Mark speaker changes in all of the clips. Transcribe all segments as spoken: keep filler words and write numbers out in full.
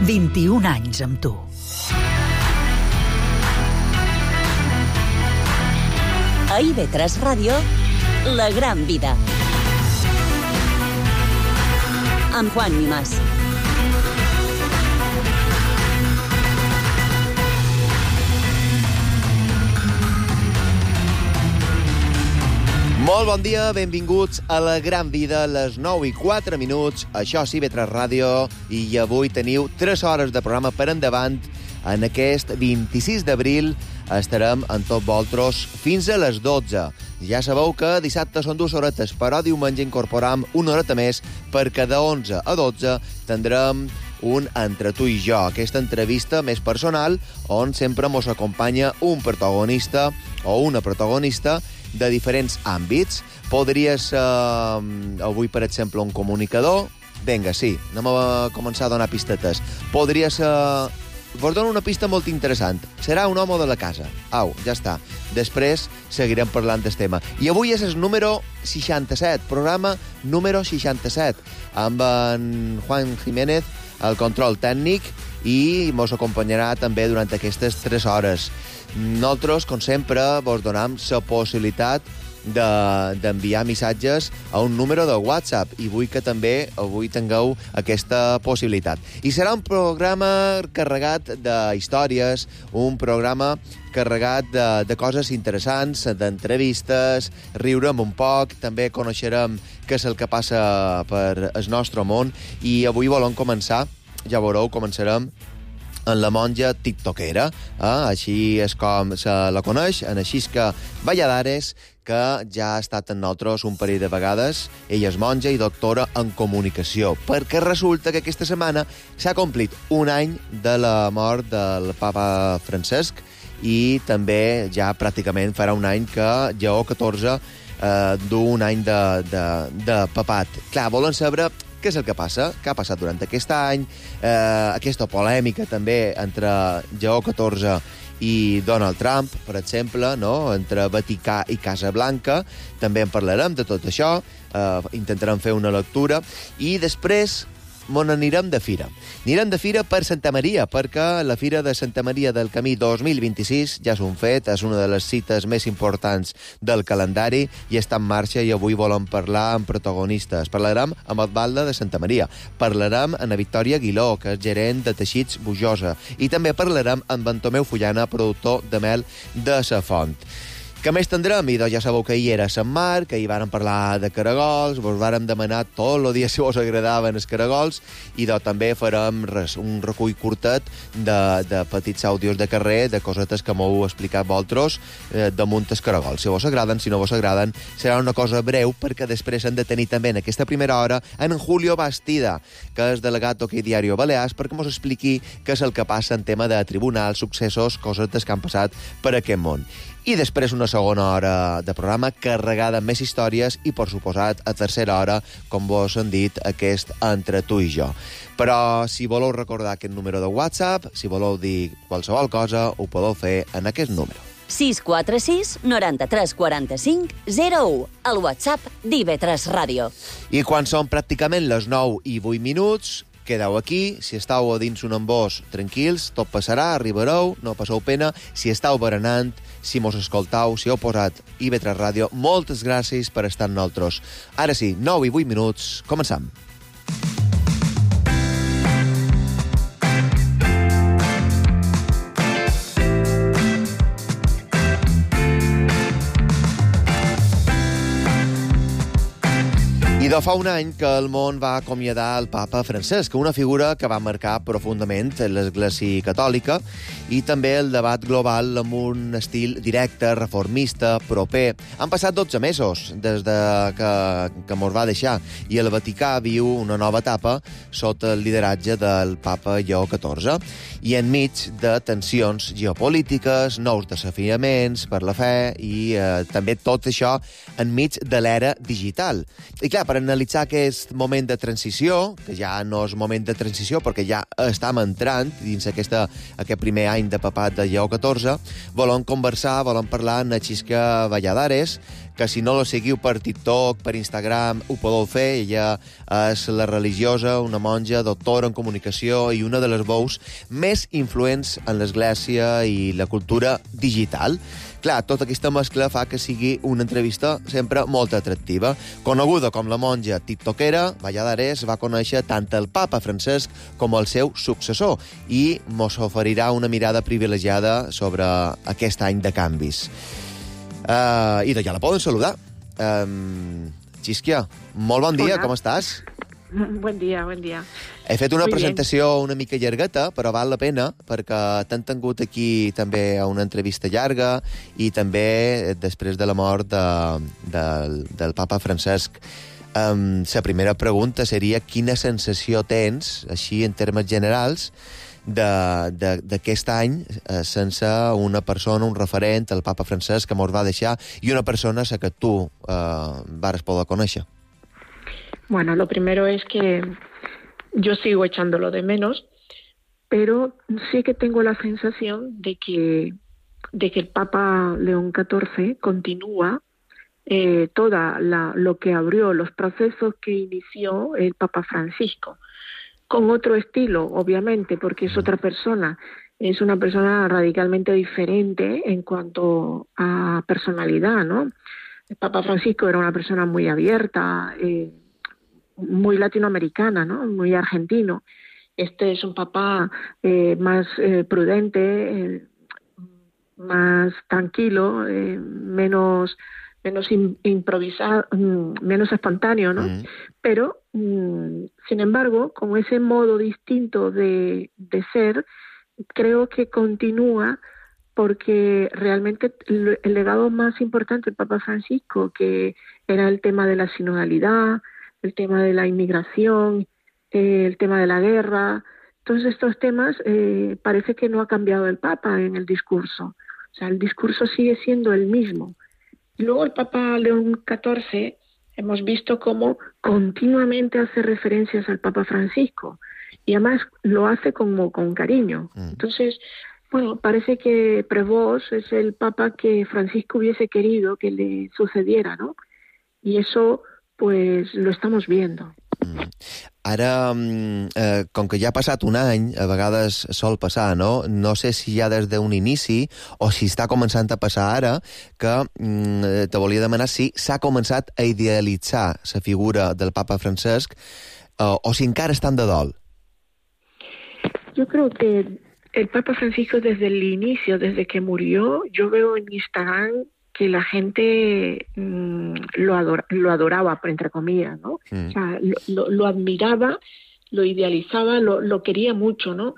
Speaker 1: vint-i-un anys amb tu.
Speaker 2: A I V tres Ràdio, La Gran Vida. Amb Juan Mimàs.
Speaker 3: Molt bon dia, benvinguts a La Gran Vida, a les nou i quatre minuts. Això és I V tres Ràdio i avui teniu tres hores de programa per endavant. En aquest vint-i-sis d'abril estarem amb tots vosaltres fins a les dotze. Ja sabeu que dissabte són dues horetes, però diumenge incorporam una horeta més perquè de onze a dotze tindrem un Entre tu i jo, aquesta entrevista més personal on sempre mos acompanya un protagonista o una protagonista de diferents àmbits. Podria ser eh, avui, per exemple, un comunicador. Vinga, sí, anem a començar a donar pistetes. Podria ser... Vos dono una pista molt interessant. Serà un home de la casa. Au, ja està. Després seguirem parlant del tema. I avui és el número seixanta-set, programa número seixanta-set, amb en Juan Jiménez, el control tècnic, i mos acompanyarà també durant aquestes tres hores. Nosaltres, com sempre, vos donem la possibilitat d'enviar de, missatges a un número de WhatsApp i vull que també avui tingueu aquesta possibilitat. I serà un programa carregat d'històries, un programa carregat de, de coses interessants, d'entrevistes, riurem un poc, també coneixerem què és el que passa per el nostre món i avui volem començar, ja veureu, començarem en la monja tiktokera, eh? Així és com se la coneix, en Aixisca Valladares, que ja ha estat amb nosaltres un parell de vegades. Ella és monja i doctora en comunicació, perquè resulta que aquesta setmana s'ha complit un any de la mort del papa Francesc i també ja pràcticament farà un any que Lleó catorze eh, du un any de, de, de papat. Clar, volen saber què és el que passa, què ha passat durant aquest any, eh, aquesta polèmica també entre Lleó catorze i Donald Trump, per exemple, no? Entre Vaticà i Casa Blanca. També en parlarem de tot això, eh, intentarem fer una lectura, i després on anirem de fira. Anirem de fira per Santa Maria, perquè la Fira de Santa Maria del Camí dos mil vint-i-sis ja és un fet, és una de les cites més importants del calendari i està en marxa, i avui volem parlar amb protagonistes. Parlarem amb Edvalda de Santa Maria, parlarem amb la Victòria Aguiló, que és gerent de Teixits Bujosa, i també parlarem amb en Tomeu Fullana, productor de mel de Sa Font. Què més tindrem? I doncs ja sabeu que ahir era Sant Marc, que ahir vàrem parlar de caragols, vos vàrem demanar tot el dia si vos agradaven els caragols, i doncs també farem res, un recull curtet de, de petits àudios de carrer, de cosetes que m'heu explicat vosaltres eh, damunt els caragols. Si vos agraden, si no vos agraden, serà una cosa breu, perquè després hem de tenir també en aquesta primera hora en Julio Bastida, que és delegat d'Hockey Diario Balears, perquè mos expliqui què és el que passa en tema de tribunals, successos, cosetes que han passat per aquest món. I després una segona hora de programa carregada amb més històries i, per suposat, a tercera hora, com vos han dit, aquest Entre tu i jo. Però si voleu recordar aquest número de WhatsApp, si voleu dir qualsevol cosa, ho podeu fer en aquest número.
Speaker 2: sis quatre sis, noranta-tres, quaranta-cinc, zero u, el WhatsApp d'I V tres Ràdio.
Speaker 3: I quan són pràcticament les nou i vuit minuts, quedeu aquí. Si estàu a dins un embòs, tranquils, tot passarà, arribareu, no passeu pena. Si estàu berenant, si mos escoltau, si heu posat I V tres Ràdio, moltes gràcies per estar amb nosaltres. Ara sí, nou i vuit minuts, començam. I de fa un any que el món va acomiadar el papa Francesc, una figura que va marcar profundament l'Església Catòlica i també el debat global amb un estil directe, reformista, proper. Han passat dotze mesos des de que, que mos va deixar i el Vaticà viu una nova etapa sota el lideratge del papa Lleó catorze i enmig de tensions geopolítiques, nous desafiaments per la fe i eh, també tot això enmig de l'era digital. I clar, per analitzar aquest moment de transició, que ja no és moment de transició perquè ja estem entrant dins aquesta, aquest primer any de papat de Lleó catorze, volem conversar, volem parlar amb Aixisca Valladares, que si no la seguiu per TikTok, per Instagram, ho podeu fer. Ella és la religiosa, una monja, doctora en comunicació i una de les veus més influents en l'Església i la cultura digital. Clar, tota aquesta mescla fa que sigui una entrevista sempre molt atractiva. Coneguda com la monja tiktokera, Valladares va conèixer tant el papa Francesc com el seu successor i mos oferirà una mirada privilegiada sobre aquest any de canvis. Uh, I ja la poden saludar. Um, Xisquia, molt bon dia,
Speaker 1: Hola.
Speaker 3: com estàs?
Speaker 1: Buen dia, buen dia.
Speaker 3: He fet una
Speaker 1: Muy
Speaker 3: presentació bien. Una mica llargueta, però val la pena, perquè t'han tingut aquí també a una entrevista llarga i també després de la mort de, de, del papa Francesc. Um, la primera pregunta seria quina sensació tens, així en termes generals, d'aquest any eh, sense una persona, un referent, el papa Francesc, que mos va deixar, i una persona a que tu eh, vares poder conèixer.
Speaker 1: Bueno, lo primero es que yo sigo echándolo de menos, pero sí que tengo la sensación de que, de que el Papa León catorce continúa eh, toda la, lo que abrió, los procesos que inició el Papa Francisco, con otro estilo, obviamente, porque es otra persona. Es una persona radicalmente diferente en cuanto a personalidad, ¿no? El Papa Francisco era una persona muy abierta, eh, muy latinoamericana, ¿no? Muy argentino. Este es un papá eh, más eh, prudente, eh, más tranquilo, eh, menos menos improvisado, menos espontáneo, ¿no? Mm. Pero, mm, sin embargo, con ese modo distinto de, de ser, creo que continúa porque realmente el, el legado más importante del Papa Francisco, que era el tema de la sinodalidad, el tema de la inmigración, eh, el tema de la guerra, todos estos temas eh, parece que no ha cambiado el Papa en el discurso. O sea, el discurso sigue siendo el mismo. Y luego el Papa León catorce, hemos visto cómo continuamente hace referencias al Papa Francisco y además lo hace como con cariño. Mm. Entonces, bueno, parece que Prevost es el Papa que Francisco hubiese querido que le sucediera, ¿no? Y eso pues lo estamos viendo.
Speaker 3: Mm. Ara, eh, com que ja ha passat un any, a vegades sol passar, no? No sé si ja des d'un inici o si està començant a passar ara, que mm, te volia demanar si s'ha començat a idealitzar la figura del papa Francesc eh, o si encara estan de dol.
Speaker 1: Yo creo que el Papa Francisco desde el inicio, desde que murió, yo veo en Instagram que la gente mmm, lo, adora, lo adoraba, entre comillas, ¿no? Mm. O sea, lo, lo, lo admiraba, lo idealizaba, lo, lo quería mucho, ¿no?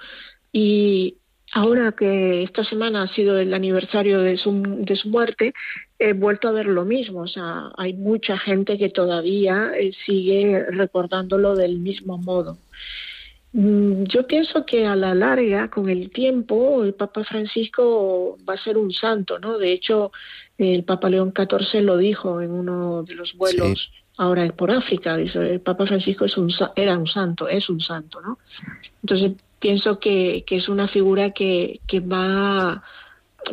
Speaker 1: Y ahora que esta semana ha sido el aniversario de su, de su muerte, he vuelto a ver lo mismo. O sea, hay mucha gente que todavía eh, sigue recordándolo del mismo modo. Yo pienso que a la larga, con el tiempo, el Papa Francisco va a ser un santo, ¿no? De hecho, el Papa León catorce lo dijo en uno de los vuelos sí. ahora por África. Dice, el Papa Francisco es un, era un santo, es un santo, ¿no? Entonces, pienso que, que es una figura que, que va,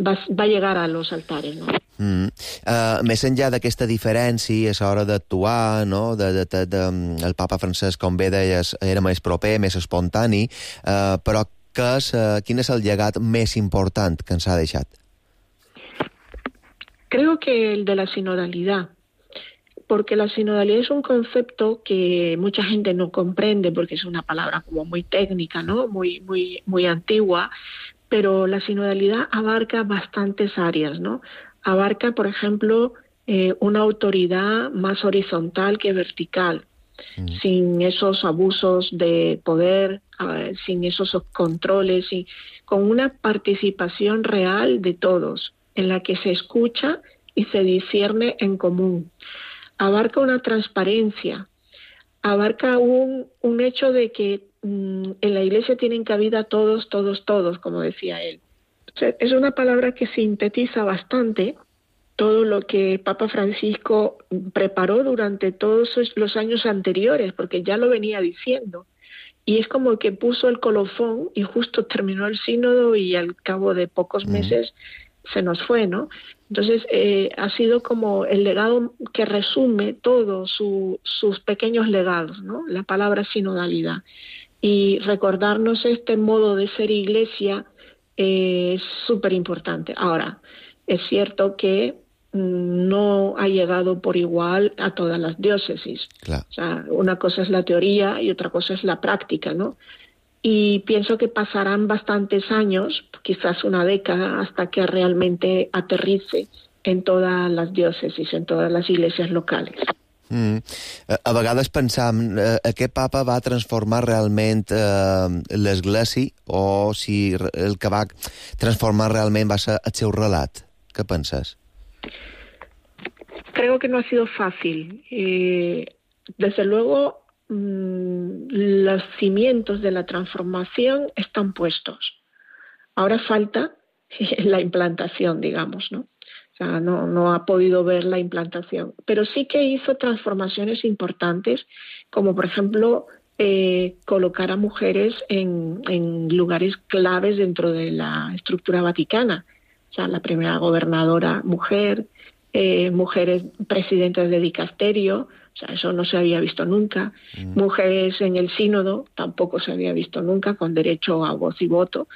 Speaker 1: va, va a llegar a los altares, ¿no?
Speaker 3: Mm. Uh, més enllà d'aquesta diferència a l'hora d'actuar, no? de, de, de, de, el papa Francesc, com bé deies, era més proper, més espontani, uh, però que és, uh, quin és el llegat més important que ens ha deixat?
Speaker 1: Creo que el de la sinodalidad, porque la sinodalidad es un concepto que mucha gente no comprende porque es una palabra como muy técnica, ¿no? Muy, muy, muy antigua, pero la sinodalidad abarca bastantes áreas, ¿no? Abarca, por ejemplo, eh, una autoridad más horizontal que vertical, mm. sin esos abusos de poder, uh, sin esos controles, y con una participación real de todos, en la que se escucha y se discierne en común. Abarca una transparencia, abarca un, un hecho de que mm, en la Iglesia tienen cabida todos, todos, todos, como decía él. Es una palabra que sintetiza bastante todo lo que Papa Francisco preparó durante todos los años anteriores, porque ya lo venía diciendo. Y es como que puso el colofón y justo terminó el sínodo y al cabo de pocos meses se nos fue, ¿no? Entonces, eh, ha sido como el legado que resume todos su, sus pequeños legados, ¿no? La palabra sinodalidad. Y recordarnos este modo de ser iglesia eh, es súper importante. Ahora, es cierto que mmm, no ha llegado por igual a todas las diócesis.
Speaker 3: Claro.
Speaker 1: O sea, una cosa es la teoría y otra cosa es la práctica, ¿no? Y pienso que pasarán bastantes años, quizás una década, hasta que realmente aterrice en todas las diócesis, en todas las iglesias locales.
Speaker 3: Mm. A vegades pensam, eh, aquest papa va transformar realment eh, l'Església o si el que va transformar realment va ser el seu relat? Què penses?
Speaker 1: Creo que no ha sido fácil. Eh, desde luego, los cimientos de la transformación están puestos. Ahora falta la implantación, digamos, ¿no? O sea, no, no ha podido ver la implantación. Pero sí que hizo transformaciones importantes, como por ejemplo eh, colocar a mujeres en, en lugares claves dentro de la estructura vaticana. O sea, la primera gobernadora mujer, eh, mujeres presidentas de dicasterio. O sea, eso no se había visto nunca. Mm. Mujeres en el sínodo tampoco se había visto nunca, con derecho a voz y voto.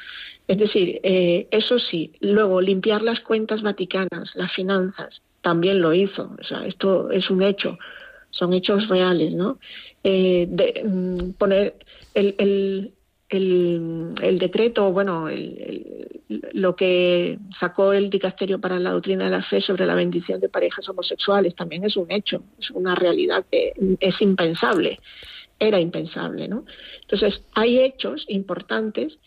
Speaker 1: Es decir, eh, eso sí. Luego, limpiar las cuentas vaticanas, las finanzas, también lo hizo. O sea, esto es un hecho. Son hechos reales, ¿no? Eh, de, mm, poner el, el, el, el decreto, bueno, el, el, lo que sacó el dicasterio para la doctrina de la fe sobre la bendición de parejas homosexuales también es un hecho, es una realidad que es impensable, era impensable, ¿no? Entonces, hay hechos importantes,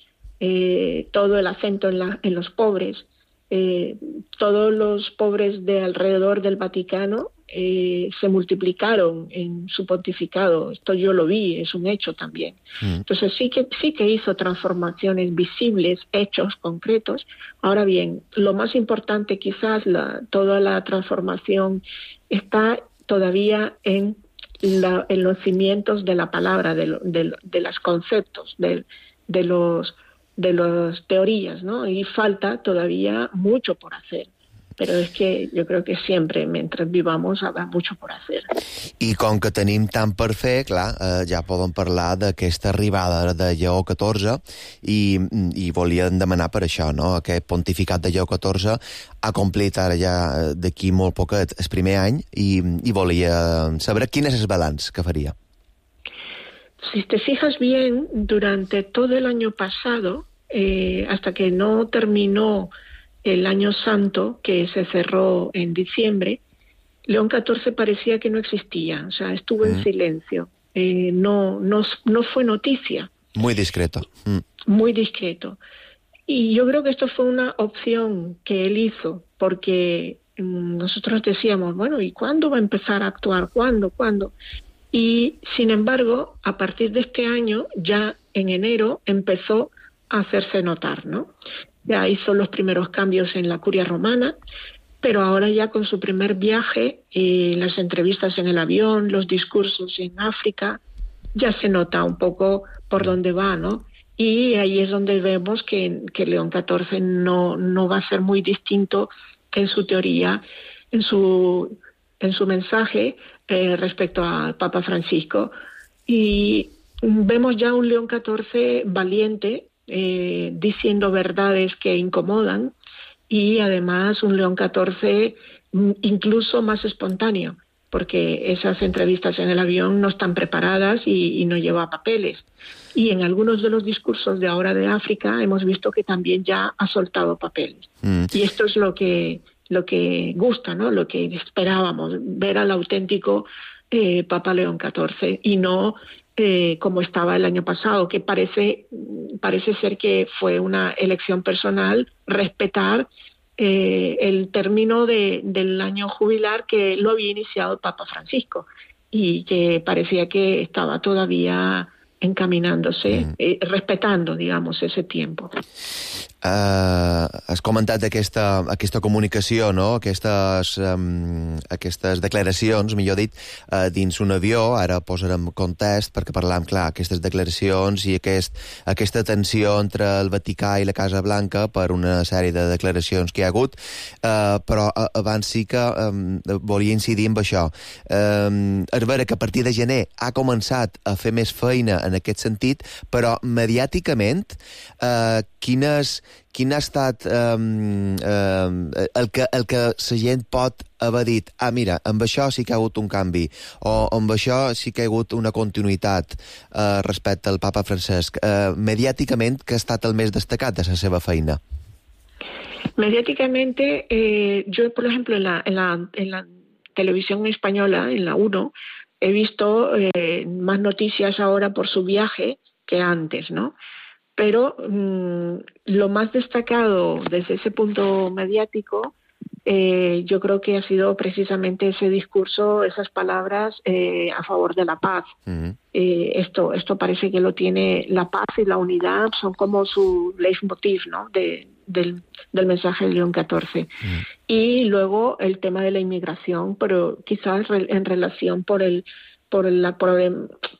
Speaker 1: eh, todo el acento en, la, en los pobres, eh, todos los pobres de alrededor del Vaticano eh, se multiplicaron en su pontificado. Esto yo lo vi, es un hecho también. Mm. Entonces sí que sí que hizo transformaciones visibles, hechos concretos. Ahora bien, lo más importante quizás, la, toda la transformación está todavía en, la, en los cimientos de la palabra, de, de, de los conceptos, de, de los de las teorías, ¿no? Y falta todavía mucho por hacer. Però és que jo crec que sempre, mentre vivamos, habrá mucho por hacer.
Speaker 3: I com que tenim tant per fer, clar, eh, ja podem parlar d'aquesta arribada de Lleó catorze i, i volien demanar per això, no? Aquest pontificat de Lleó catorze ha complit ara ja d'aquí molt poquet el primer any i, i volia saber quin és el balanç que faria.
Speaker 1: Si te fijas bien, durante todo el año pasado, eh, hasta que no terminó el año santo, que se cerró en diciembre, León catorce parecía que no existía, o sea, estuvo mm. en silencio, eh, no, no, no fue noticia.
Speaker 3: Muy discreto. Mm.
Speaker 1: Muy discreto. Y yo creo que esto fue una opción que él hizo, porque mm, nosotros decíamos, bueno, ¿y cuándo va a empezar a actuar? ¿Cuándo? ¿Cuándo? Y, sin embargo, a partir de este año, ya en enero, empezó a hacerse notar, ¿no? Ya hizo los primeros cambios en la curia romana, pero ahora ya con su primer viaje, eh, las entrevistas en el avión, los discursos en África, ya se nota un poco por dónde va, ¿no? Y ahí es donde vemos que, que León catorce no, no va a ser muy distinto en su teoría, en su, en su mensaje eh, respecto al Papa Francisco. Y vemos ya un León catorce valiente, Eh, diciendo verdades que incomodan, y además un León catorce incluso más espontáneo, porque esas entrevistas en el avión no están preparadas y, y no lleva papeles. Y en algunos de los discursos de ahora de África hemos visto que también ya ha soltado papeles. Mm. Y esto es lo que, lo que gusta, ¿no? Lo que esperábamos, ver al auténtico eh, Papa León catorce y no Eh, como estaba el año pasado, que parece, parece ser que fue una elección personal respetar eh, el término de, del año jubilar que lo había iniciado el Papa Francisco y que parecía que estaba todavía encaminándose, mm. eh, respetando, digamos, ese tiempo.
Speaker 3: Uh, has comentat aquesta, aquesta comunicació, no? Aquestes, um, aquestes declaracions, millor dit, uh, dins un avió. Ara posarem context perquè parlam, clar, aquestes declaracions i aquest, aquesta tensió entre el Vaticà i la Casa Blanca per una sèrie de declaracions que hi ha hagut, uh, però uh, abans sí que um, volia incidir en això. Um, és vera que a partir de gener ha començat a fer més feina en aquest sentit, però mediàticament uh, quines Quin ha estat um, um, el, que, el que la gent pot haver dit, ah, mira, amb això sí que ha hagut un canvi, o amb això sí que ha hagut una continuïtat uh, respecte al papa Francesc. Uh, mediàticament, què ha estat el més destacat de la seva feina?
Speaker 1: Mediáticamente, eh, yo, por ejemplo, en la, en, la, en la televisión española, en la uno, he visto eh, más noticias ahora por su viaje que antes, ¿no? Pero mmm, lo más destacado desde ese punto mediático, eh, yo creo que ha sido precisamente ese discurso, esas palabras eh, a favor de la paz. Uh-huh. Eh, esto, esto parece que lo tiene, la paz y la unidad son como su leitmotiv, ¿no? De, del, del mensaje de León catorce. Uh-huh. Y luego el tema de la inmigración, pero quizás re, en relación por el Por, la, por,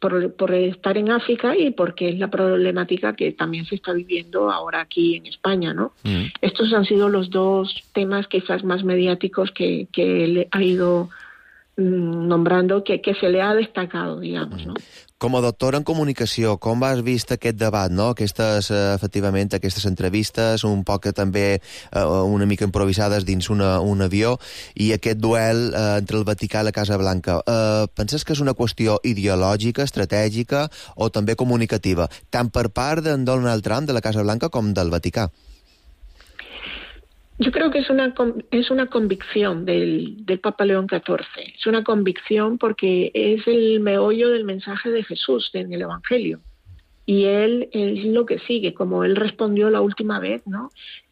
Speaker 1: por, por estar en África y porque es la problemática que también se está viviendo ahora aquí en España, ¿no? Mm. Estos han sido los dos temas quizás más mediáticos que, que le ha ido mm, nombrando, que, que se le ha destacado, digamos, ¿no?
Speaker 3: Com a doctora en comunicació, com has vist aquest debat, no? Aquestes, efectivament, aquestes entrevistes, un poc també uh, una mica improvisades dins una, un avió, i aquest duel uh, entre el Vaticà i la Casa Blanca. Uh, penses que és una qüestió ideològica, estratègica o també comunicativa, tant per part d'en Donald Trump, de la Casa Blanca, com del Vaticà?
Speaker 1: Yo creo que es una es una convicción del, del Papa León catorce. Es una convicción porque es el meollo del mensaje de Jesús en el Evangelio. Y él es lo que sigue, como él respondió la última vez, ¿no?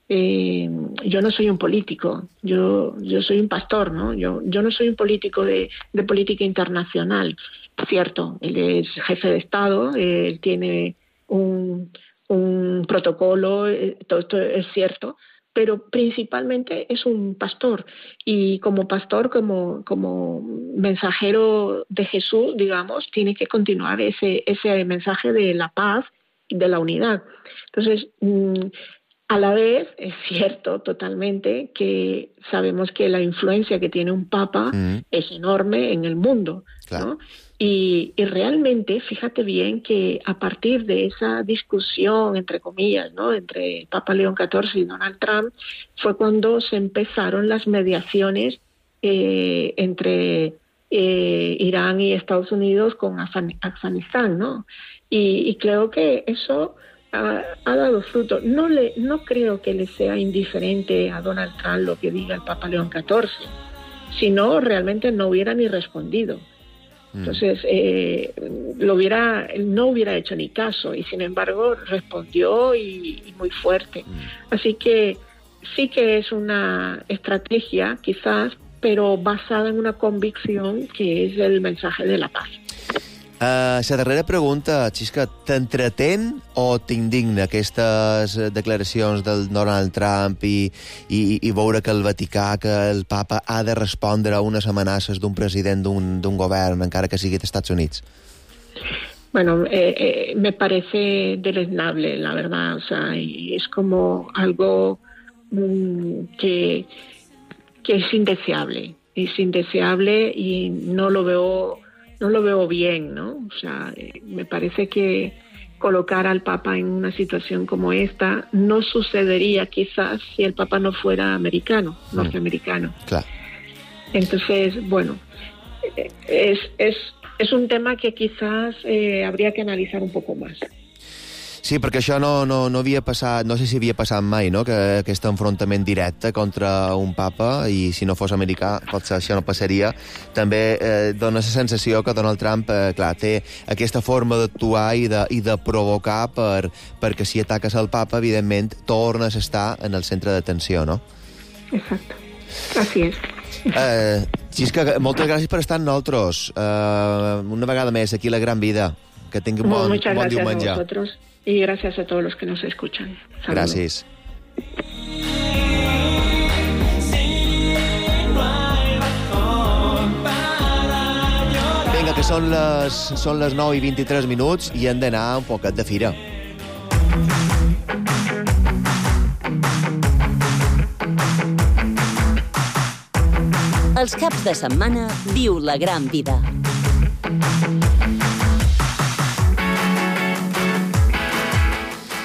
Speaker 1: Eh, yo no soy un político, yo yo soy un pastor, ¿no? Yo yo no soy un político de, de política internacional. Cierto, él es jefe de Estado, él tiene un, un protocolo, todo esto es cierto, pero principalmente es un pastor, y como pastor, como, como mensajero de Jesús, digamos, tiene que continuar ese, ese mensaje de la paz y de la unidad. Entonces, mmm, a la vez, es cierto totalmente que sabemos que la influencia que tiene un papa mm. es enorme en el mundo, claro. ¿no? Y, y realmente, fíjate bien que a partir de esa discusión, entre comillas, ¿no? entre Papa León catorce y Donald Trump, fue cuando se empezaron las mediaciones eh, entre eh, Irán y Estados Unidos con Afan- Afganistán, ¿no? Y, y creo que eso ha, ha dado fruto. No, le, no creo que le sea indiferente a Donald Trump lo que diga el Papa León catorce, si no, realmente no hubiera ni respondido. Entonces, eh, lo hubiera, no hubiera hecho ni caso, y sin embargo respondió y, y muy fuerte. Así que sí que es una estrategia, quizás, pero basada en una convicción que es el mensaje de la paz.
Speaker 3: Uh, la darrera pregunta, Xisca, t'entretén o t'indigna aquestes declaracions del Donald Trump i, i, i veure que el Vaticà, que el papa ha de respondre a unes amenaces d'un president d'un, d'un govern, encara que sigui dels Estats Units?
Speaker 1: Bueno, eh, eh, me parece deleznable, la verdad. O sea, y es como algo mmm, que, que es indeseable. Es indeseable y no lo veo... No lo veo bien, ¿no? O sea, eh, me parece que colocar al Papa en una situación como esta no sucedería quizás si el Papa no fuera americano, mm. norteamericano.
Speaker 3: Claro.
Speaker 1: Entonces, bueno, eh, es, es, es un tema que quizás eh, habría que analizar un poco más.
Speaker 3: Sí, perquè això no, no, no havia passat, no sé si havia passat mai, no?, que aquest enfrontament directe contra un papa, i si no fos americà, potser això no passaria. També eh, dona la sensació que Donald Trump, eh, clar, té aquesta forma d'actuar i de, i de provocar per, perquè si ataques al papa, evidentment, tornes a estar en el centre d'atenció, no?
Speaker 1: Exacte. Así es.
Speaker 3: Eh, Xisca, moltes gràcies per estar amb nosaltres. Eh, una vegada més, aquí a La Gran Vida. Que tingui un bon,
Speaker 1: Muchas
Speaker 3: bon
Speaker 1: gracias
Speaker 3: diumenge.
Speaker 1: a vosotros y gracias a todos los que nos escuchan. Saludos.
Speaker 3: Gràcies. Vinga, que són les, són les nou i vint-i-tres minuts i hem d'anar un poquet de fira.
Speaker 2: Els caps de setmana viu la gran vida.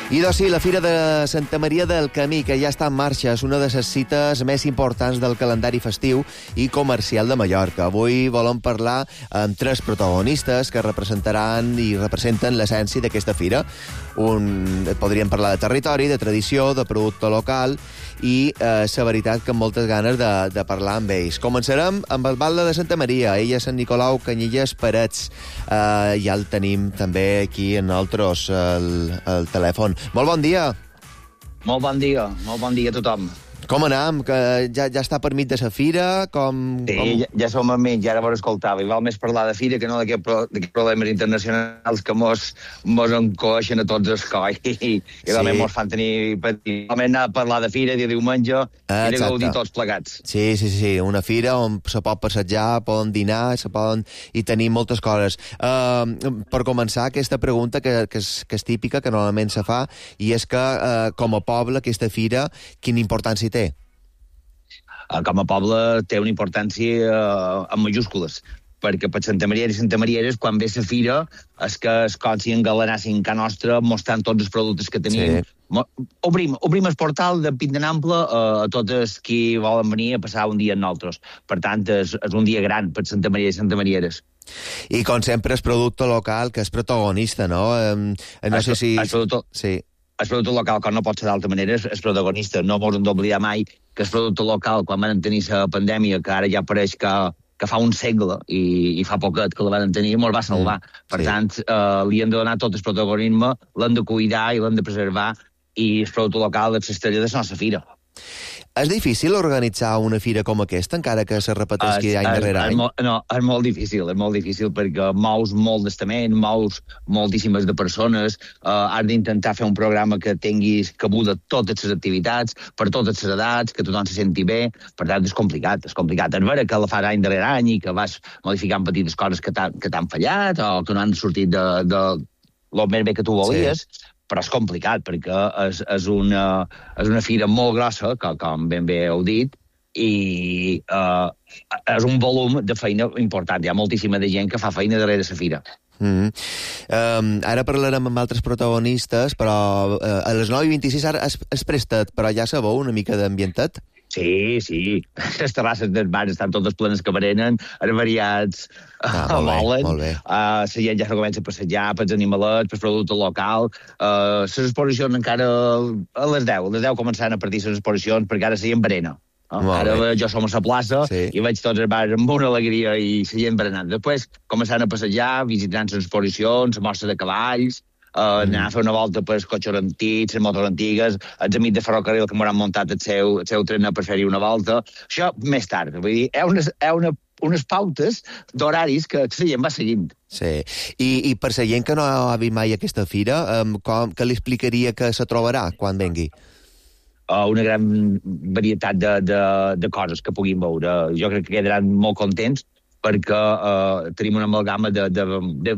Speaker 3: I doncs sí, la Fira de Santa Maria del Camí, que ja està en marxa, és una de les cites més importants del calendari festiu i comercial de Mallorca. Avui volem parlar amb tres protagonistes que representaran i representen l'essència d'aquesta fira. Un, podríem parlar de territori, de tradició, de producte local i eh, la veritat que amb moltes ganes de, de parlar amb ells. Començarem amb el Batlle de Santa Maria. Ell és Sant Nicolau Canyelles Parets. Eh, ja el tenim també aquí en nosaltres, el, el telèfon. Molt bon dia.
Speaker 4: Molt bon dia, molt bon dia a tothom.
Speaker 3: Com anem? Que ja, ja està per mig de la fira? Com,
Speaker 4: sí,
Speaker 3: com...
Speaker 4: ja, ja som amics, ja ara vos escoltava. I val més parlar de fira que no d'aquests pro, problemes internacionals que mos, mos encoixen a tots els coll. I, i sí. Realment mos fan tenir... Realment anar a parlar de fira de diumenge i de gaudir tots plegats.
Speaker 3: Sí, sí, sí, una fira on se pot passejar, poden dinar, se poden... i tenir moltes coses. Uh, per començar, aquesta pregunta que, que, és, que és típica, que normalment se fa, i és que, uh, com a poble, aquesta fira, quina importància té?
Speaker 4: Com a poble té una importància uh, en majúscules, perquè per Santa Maria i Santa Marieres, quan ve la fira, és que es coci engalanassin ca nostra, mostrant tots els productes que tenim. Sí. Obrim, obrim el portal de Pit de Nample uh, a tots qui volen venir a passar un dia amb nosaltres. Per tant, és, és un dia gran per Santa Maria i Santa Marieres.
Speaker 3: I, com sempre, és producte local, que és protagonista, no? Um, no sé si...
Speaker 4: És producte... Sí. El producte local, com no pot ser d'altra manera, és, és protagonista. No ens hem d'oblidar mai que el producte local, quan van tenir la pandèmia, que ara ja pareix que, que fa un segle i, i fa poquet que la van tenir, ens va salvar. Mm, per sí. tant, eh, li hem de donar tot el protagonisme, l'hem de cuidar i l'hem de preservar, i el producte local és l'estrella de la nostra fira.
Speaker 3: És difícil organitzar una fira com aquesta, encara que se repeteixi any darrere any?
Speaker 4: Molt, no, és molt difícil, és molt difícil, perquè mous molt d'estament, mous moltíssimes de persones, uh, has d'intentar fer un programa que tinguis cabuda totes les activitats, per totes les edats, que tothom se senti bé, per tant és complicat, és complicat. És vera que la fas any darrere any i que vas modificant petites coses que t'han fallat o que no han sortit de, de lo més bé que tu volies, sí. Però és complicat, perquè és, és, una, és una fira molt grossa, que, com ben bé heu dit, i uh, és un volum de feina important. Hi ha moltíssima de gent que fa feina darrere la fira.
Speaker 3: Mm-hmm. um, ara parlarem amb altres protagonistes, però uh, a les nou i vint-i-sis ara es, es presta, però ja sabeu una mica d'ambientat?
Speaker 4: Sí, sí. Les terrasses dels bars estan totes plenes que berenen, avariats,
Speaker 3: ah, molt
Speaker 4: volen.
Speaker 3: Bé,
Speaker 4: uh, la gent ja se comença a passejar pels animalets, pel producte local. Uh, les exposicions encara a les deu. A les deu començaran a partir les exposicions, perquè ara la gent berena. Uh, ara bé. Jo som a la plaça, sí. I veig tots els bars amb una alegria i la gent berenant. Després començaran a passejar, visitant les exposicions, mostra de cavalls, Uh, anar a fer una volta per els cotxes antics, les motos antigues, els amics de ferrocarril que m'hauran muntat el seu, el seu tren per fer-hi una volta. Això més tard. Vull dir, hi ha unes, hi ha una, unes pautes d'horaris que la gent va seguint.
Speaker 3: Sí. I, i per la gent que no ha vist mai aquesta fira, um, com, què li explicaria que se trobarà quan vengui?
Speaker 4: Uh, una gran varietat de, de, de coses que puguin veure. Jo crec que quedaran molt contents perquè uh, tenim una amalgama de, de, de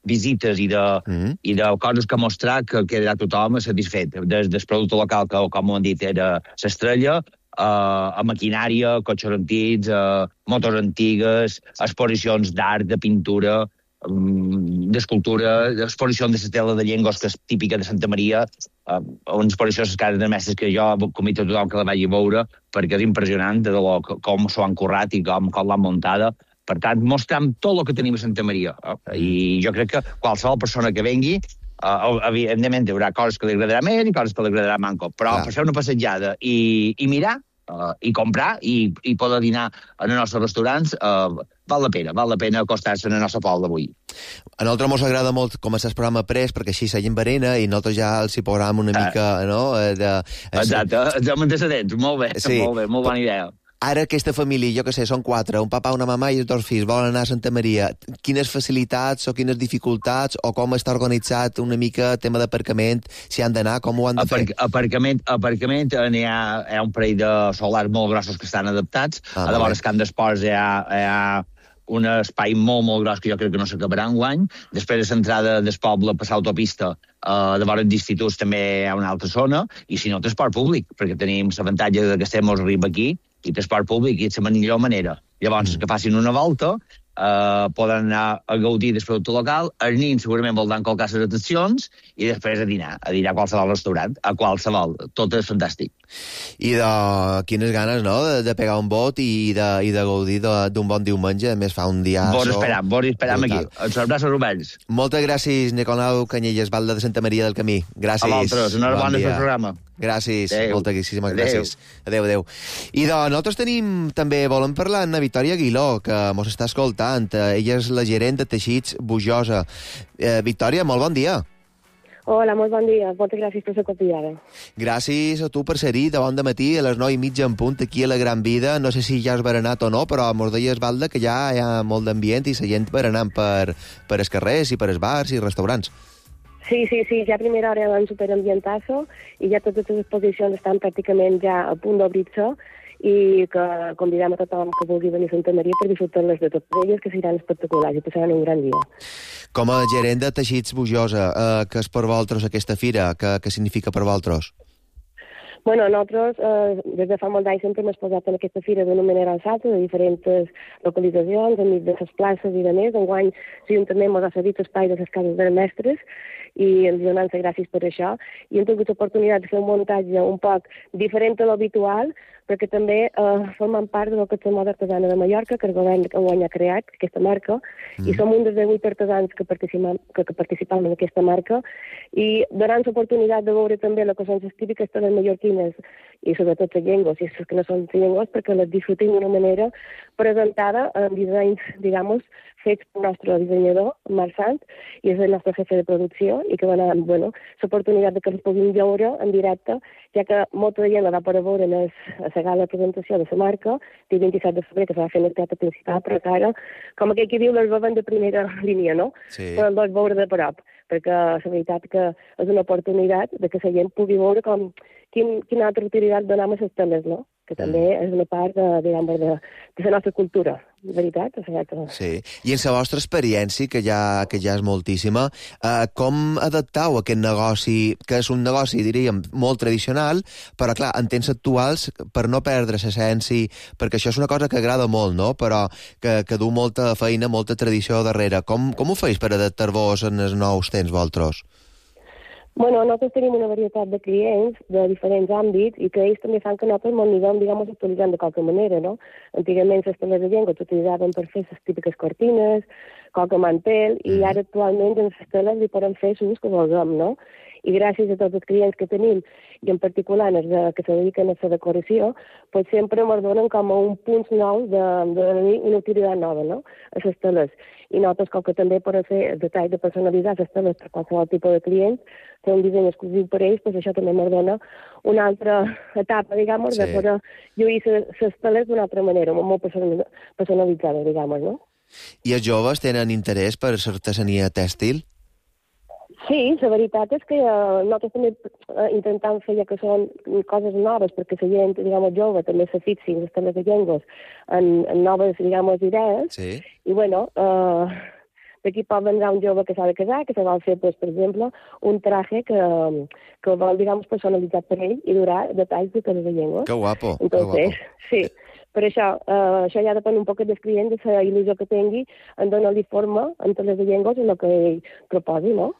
Speaker 4: visites i de, mm-hmm. i de coses que mostrar que quedarà tothom satisfet. Des del producte local, que com ho han dit era l'estrella, uh, a maquinària, cotxes antics, uh, motos antigues, exposicions d'art, de pintura, um, d'escultura, exposicions de la tela de llengos, que és típica de Santa Maria, uh, unes exposicions de cases de mestres que jo convido a tothom que la vagi a veure, perquè és impressionant de lo, com s'ho han currat i com, com l'han muntada. Per tant, mostrem tot el que tenim a Santa Maria. I jo crec que qualsevol persona que vengui, uh, evidentment hi haurà coses que li agradarà més i coses que li agradarà manco, però per fer una passejada i, i mirar, uh, i comprar, i, i poder dinar en els nostres restaurants, uh, val la pena, val la pena acostar-se en el nostre poble d'avui.
Speaker 3: A nosaltres ens agrada molt començar el programa pres, perquè així la gent berena i nosaltres ja els hi posarem una mica, uh, no? De,
Speaker 4: Exacte, els homes antecedents, molt bé, sí. molt bé, molt bona idea.
Speaker 3: Ara aquesta família, jo què sé, són quatre, un papà, una mamà i els dos fills, volen anar a Santa Maria. Quines facilitats o quines dificultats o com està organitzat una mica el tema d'aparcament, si han d'anar, com ho han de fer?
Speaker 4: Aparc aparcament, aparcament n'hi ha, hi ha un parell de solars molt grossos que estan adaptats, ah, a llavors Camp d'Esports hi ha, hi ha un espai molt, molt gros que jo crec que no s'acabarà enguany. Després de l'entrada del poble, passar autopista, eh, de vora d'instituts també hi ha una altra zona, i si no, transport públic, perquè tenim l'avantatge que estem molt arriba aquí, i transport públic, i és la millor manera. Llavors, mm. que facin una volta, eh, poden anar a gaudir del producte local, els nins segurament voldran colcar les atraccions, i després a dinar, a dinar a qualsevol restaurant, a qualsevol. Tot és fantàstic.
Speaker 3: I de quines ganes, no?, de, de pegar un bot i de, i de gaudir d'un bon diumenge. A més, fa un dia...
Speaker 4: Vos esperam, vos esperam aquí, els braços oberts.
Speaker 3: Moltes gràcies, Nicolau Canyelles, Valde de Santa Maria del Camí. Gràcies.
Speaker 4: A vosaltres, enhorabona bon pel programa.
Speaker 3: Gràcies,
Speaker 4: adeu.
Speaker 3: moltíssimes gràcies. Adéu, adéu. I de nosaltres tenim, també volem parlar amb la Victòria Aguiló, que mos està escoltant. Ella és la gerent de Teixits Bujosa. Eh, Victòria, molt bon dia.
Speaker 5: Hola, molt bon dia. Moltes gràcies per la convidada.
Speaker 3: Gràcies a tu per ser-hi de bon dematí a les nou i mitja en punt aquí a la Gran Vida. No sé si ja has berenat o no, però mos deies, Valde, que ja hi ha molt d'ambient i la gent berenant per, per els carrers i per els bars i restaurants.
Speaker 5: Sí, sí, sí, ja a primera hora hi ha un superambientazo i ja totes les exposicions estan pràcticament ja a punt d'obrir-se i que convidem a tothom que vulgui venir a Santa Maria per disfrutar-les de totes elles, que seran espectaculars i passaran un gran dia.
Speaker 3: Com a gerent de Teixits Bujosa, eh, què és per vosaltres aquesta fira? Què, què significa per vosaltres?
Speaker 5: Bueno, nosaltres eh, des de fa molt d'anys sempre hem exposat en aquesta fira d'una manera alçada, de diferents localitzacions, enmig de les places i de més. Enguany, l'Ajuntament ens ha cedit espai de les cases de mestres i ens donen les gràcies per això. I hem tingut l'oportunitat de fer un muntatge un poc diferent de l'habitual, perquè també eh, formen part de la que és la moda artesana de Mallorca, que el govern enguany ha creat, aquesta marca, mm. i som un dels vuit artesans que participem, que, que participem en aquesta marca, i donant l'oportunitat de veure també el que són les típiques teles mallorquines, i sobretot les llengües, i les que no són llengües, perquè les disfrutim d'una manera presentada en dissenys, digamos, fets pel nostre dissenyador, Marc Sant, i és el nostre jefe de producció, i que dona, bueno, l'oportunitat de que els puguin veure en directe, ja que molta gent la va poder veure en el, a la gala de presentació de la marca, el vint-i-set de febrer, que se va fer en el teatre principal, però que ara, com aquell que diu, les veuen de primera línia, no? Sí. Però les veure de prop, perquè la veritat que és una oportunitat de que la gent pugui veure com, quin, quina altra utilitat donem a les teles, no? Que també mm. és una part de, diguem, de, de la nostra cultura, de veritat. O sigui que...
Speaker 3: Sí, i en la vostra experiència, que ja, que ja és moltíssima, eh, com adaptau aquest negoci, que és un negoci, diríem, molt tradicional, però, clar, en temps actuals, per no perdre l'essència, perquè això és una cosa que agrada molt, no?, però que, que du molta feina, molta tradició darrere. Com, com ho feis per adaptar-vos en els nous temps, vosaltres?
Speaker 5: Bueno, nosaltres tenim una varietat de clients de diferents àmbits i que ells també fan que nosaltres ens anirem, diguem, actualitzant de qualque manera, no? Antigament les teles de llengua s'utilitzaven per fer les típiques cortines, qualque mantel, i ara actualment en les teles li poden fer l'ús que vulguem, no? I gràcies a tots els clients que tenim, i en particular els que se dediquen a la decoració, pues sempre ens donen com un punt nou de, de, de una utilitat nova, no?, a les teles. I nosaltres, com que també podem fer el detall de personalitzar les teles per qualsevol tipus de clients, fer un disseny exclusiu per ells, pues això també ens dona una altra etapa, diguem, sí. de poder lluir les teles d'una altra manera, molt personalitzada, diguem, no?
Speaker 3: I els joves tenen interès per l'artesania tèxtil?
Speaker 5: Sí, la veritat és que eh, nosaltres també eh, intentem fer ja que són coses noves, perquè la gent, diguem, jove també se fixi en les teles de llengües, en, en noves, diguem, idees, sí. I bueno, eh, d'aquí pot vendrà un jove que s'ha de casar, que se vol fer, pues, per exemple, un traje que, que vol, diguem, personalitzat per ell i durar detalls de teles de llengües.
Speaker 3: Que guapo,
Speaker 5: Entonces,
Speaker 3: que guapo.
Speaker 5: Sí. Per això, eh, això ja depèn un poc dels clients, de la il·lusió que tingui, en donar-li forma en teles de llengües en el que ell proposi, no?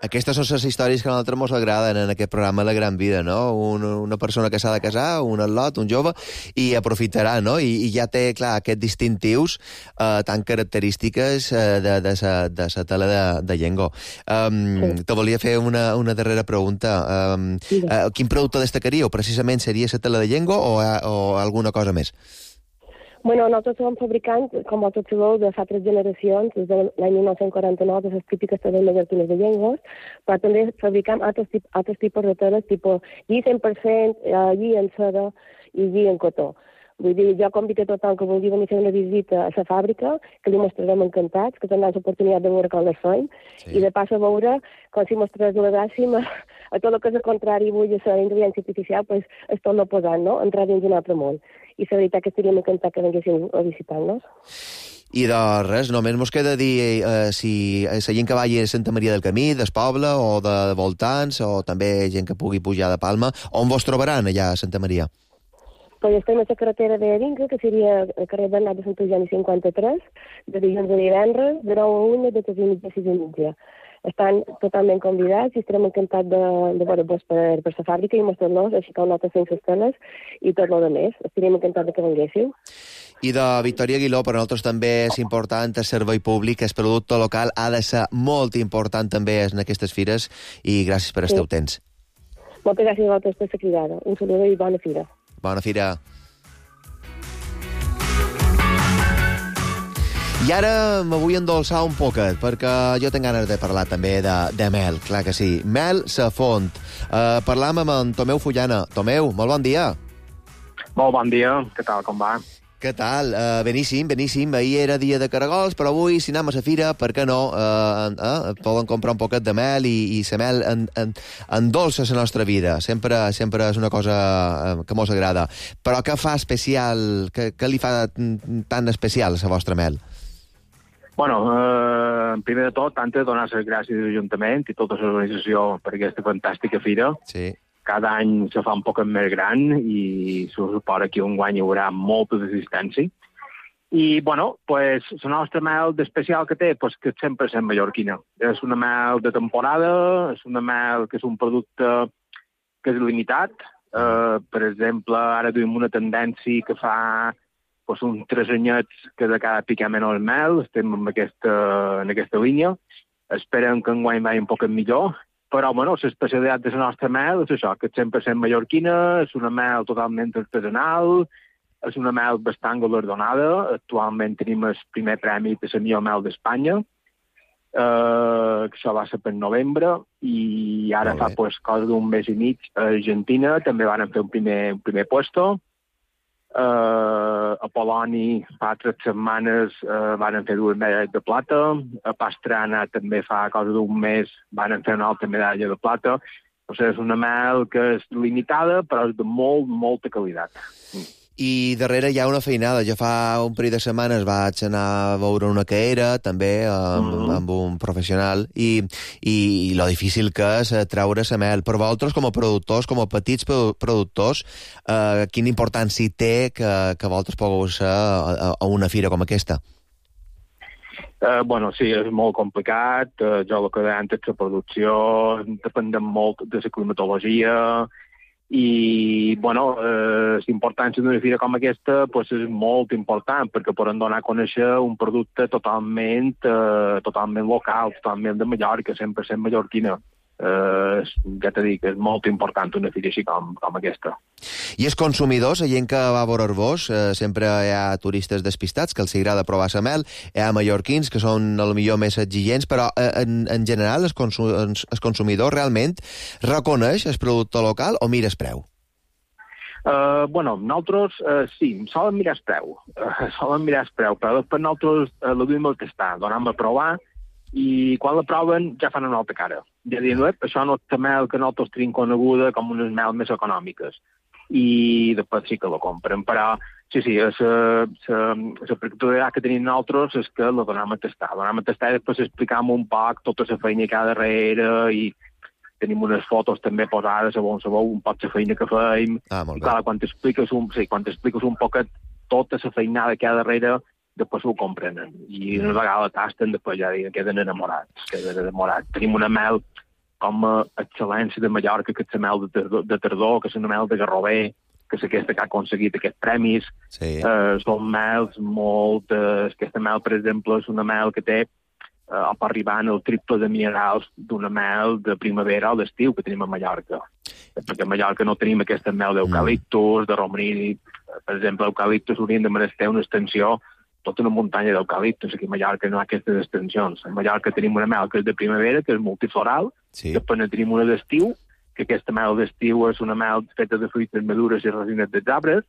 Speaker 3: Aquestes són les històries que a nosaltres ens agraden en aquest programa La Gran Vida, no? Un, una persona que s'ha de casar, un atlot, un jove, i aprofitarà, no? I, i ja té, clar, aquests distintius eh, tan característiques eh, de, de, sa, de sa tela de, de llengua. Um, sí. Te volia fer una, una darrera pregunta. Um, sí. uh, quin producte destacaríeu? Precisament seria la tela de llengua o, o alguna cosa més?
Speaker 5: Bueno, nosaltres som fabricants, com vosaltres sabeu, de fa tres generacions, des de l'any dinou quaranta-nou, de les típiques teles mallorquines de llengües, però també fabricam altres, tip, altres tipus de teles, tipus lli cent per cent, eh, lli en seda i lli en cotó. Vull dir, jo convido a tothom que vulgui venir a fer una visita a la fàbrica, que li mostrarem encantats, que tindran l'oportunitat de veure com les fem, sí. I de pas a veure com si mostrés la dècima a tot el que és el contrari avui a la intel·ligència artificial, pues, es torna posant, no?, entrar dins un altre món. I la veritat que estaríem encantats que vinguéssim a visitar-nos.
Speaker 3: I de res, només mos queda dir eh, si la gent que vagi a Santa Maria del Camí, del poble, o de voltants, o també gent que pugui pujar de Palma, on vos trobaran allà a Santa Maria?
Speaker 5: Pues estem a la carretera de Vinga, que seria el carrer Bernat de Sant Eugeni cinquanta-tres, de dilluns a divendres, de nou a una, de tres i mitja a sis i mitja. Estan totalment convidats i estarem encantats de, de veure-vos per, per la fàbrica i mostrar-nos, així com notes sense esteles i tot el més. Estaríem encantats de que venguéssiu.
Speaker 3: I de Victòria Aguiló, per a nosaltres també és important el servei públic, el producte local ha de ser molt important també en aquestes fires i gràcies per el teu temps.
Speaker 5: Moltes gràcies a vosaltres per la cridada. Un saludo i bona fira.
Speaker 3: Bona fira. I ara me vull endolçar un poquet, perquè jo tinc ganes de parlar també de, de mel, clar que sí. Mel sa font. Uh, parlam amb en Tomeu Fullana. Tomeu, molt bon dia.
Speaker 6: Molt bon dia, què tal, com va?
Speaker 3: Què tal? Uh, beníssim, beníssim. Ahir era dia de caragols, però avui, si anem a la fira, per què no? Uh, uh, poden comprar un poquet de mel i, i la mel en, en, endolça la nostra vida. Sempre, sempre és una cosa uh, que mos agrada. Però què fa especial, què, què li fa tan especial a la vostra mel?
Speaker 6: Bueno, eh, primer de tot, tant de donar les gràcies a l'Ajuntament i tota l'organització per aquesta fantàstica fira. Sí. Cada any se fa un poc més gran i se suposa que un guany hi haurà molta resistència. I, bueno, pues, la nostra mel d'especial que té, pues, que sempre és mallorquina. És una mel de temporada, és una mel que és un producte que és limitat. Eh, per exemple, ara tenim una tendència que fa pues, uns tres anyets que de cada picar menys mel, estem en aquesta, en aquesta línia. Esperem que enguany vagi un poc millor. Però, bueno, l'especialitat de la nostra mel és això, que és cent per cent mallorquina, és una mel totalment artesanal, és una mel bastant galardonada. Actualment tenim el primer premi de la millor mel d'Espanya, eh, que això va ser per novembre, i ara fa pues, cosa d'un mes i mig a Argentina també van fer un primer, un primer puesto. Uh, a Polònia fa tres setmanes uh, van fer dues medalles de plata, a Pastrana també fa cosa d'un mes van fer una altra medalla de plata. O sigui, és una mel que és limitada però és de molt, molta qualitat.
Speaker 3: I darrere hi ha una feinada. Jo fa un parell de setmanes vaig anar a veure una que era, també, amb, mm-hmm. amb un professional, i, i, i lo difícil que és treure la mel. Per vosaltres, com a productors, com a petits productors, eh, quina importància té que, que vosaltres pugueu ser a, a una fira com aquesta?
Speaker 6: Uh, bueno, sí, és molt complicat. Uh, jo el que deia antes, la producció, depèn molt de la climatologia, i, bueno, eh, la importància d'una fira com aquesta pues, és molt important, perquè poden donar a conèixer un producte totalment, eh, totalment local, totalment de Mallorca, cent per cent mallorquina. Eh, ja t'he dit que és molt important una fira així com, com aquesta.
Speaker 3: I els consumidors, la gent que va a veure-vos, eh, sempre hi ha turistes despistats que els agrada provar la mel, hi ha mallorquins que són a lo millor més exigents, però eh, en, en general el, consum, el consumidor realment reconeix el producte local o mira el preu?
Speaker 6: Uh, bueno, nosaltres uh, sí, solen mirar el preu, uh, solen mirar el preu, però després nosaltres uh, la duim al tastar, donem a provar, i quan la proven ja fan una altra cara. Ja diuen, això no és la mel que nosaltres tenim coneguda com unes mel més econòmiques. I després sí que la compren. Però, sí, sí, la particularitat que tenim nosaltres és que la donem a tastar. La donem a tastar i després explicam un poc tota la feina que hi ha darrere i tenim unes fotos també posades, segons sabeu, un poc la feina que feim. Ah, molt bé. I clar, quan t'expliques un, sí, quan t'expliques un poquet tota la feinada que hi ha darrere, després ho comprenen. I una vegada la tasten, després ja queden enamorats. Queden enamorats. Tenim una mel com a excel·lència de Mallorca, que és la mel de tardor, de tardor, que és una mel de Garrover, que és aquesta que ha aconseguit aquests premis. Sí. Uh, són mels molt... Uh, aquesta mel, per exemple, és una mel que té uh, per arribar el triple de minerals d'una mel de primavera o d'estiu que tenim a Mallorca. Perquè a Mallorca no tenim aquesta mel d'eucaliptus, de romaní. Per exemple, l'eucaliptus hauríem de menester una extensió tota una muntanya d'eucaliptus. Aquí a Mallorca no hi ha aquestes extensions. A Mallorca tenim una mel que és de primavera, que és multifloral, sí. Després tenim una d'estiu, que aquesta mel d'estiu és una mel feta de fruites madures i resines dels arbres,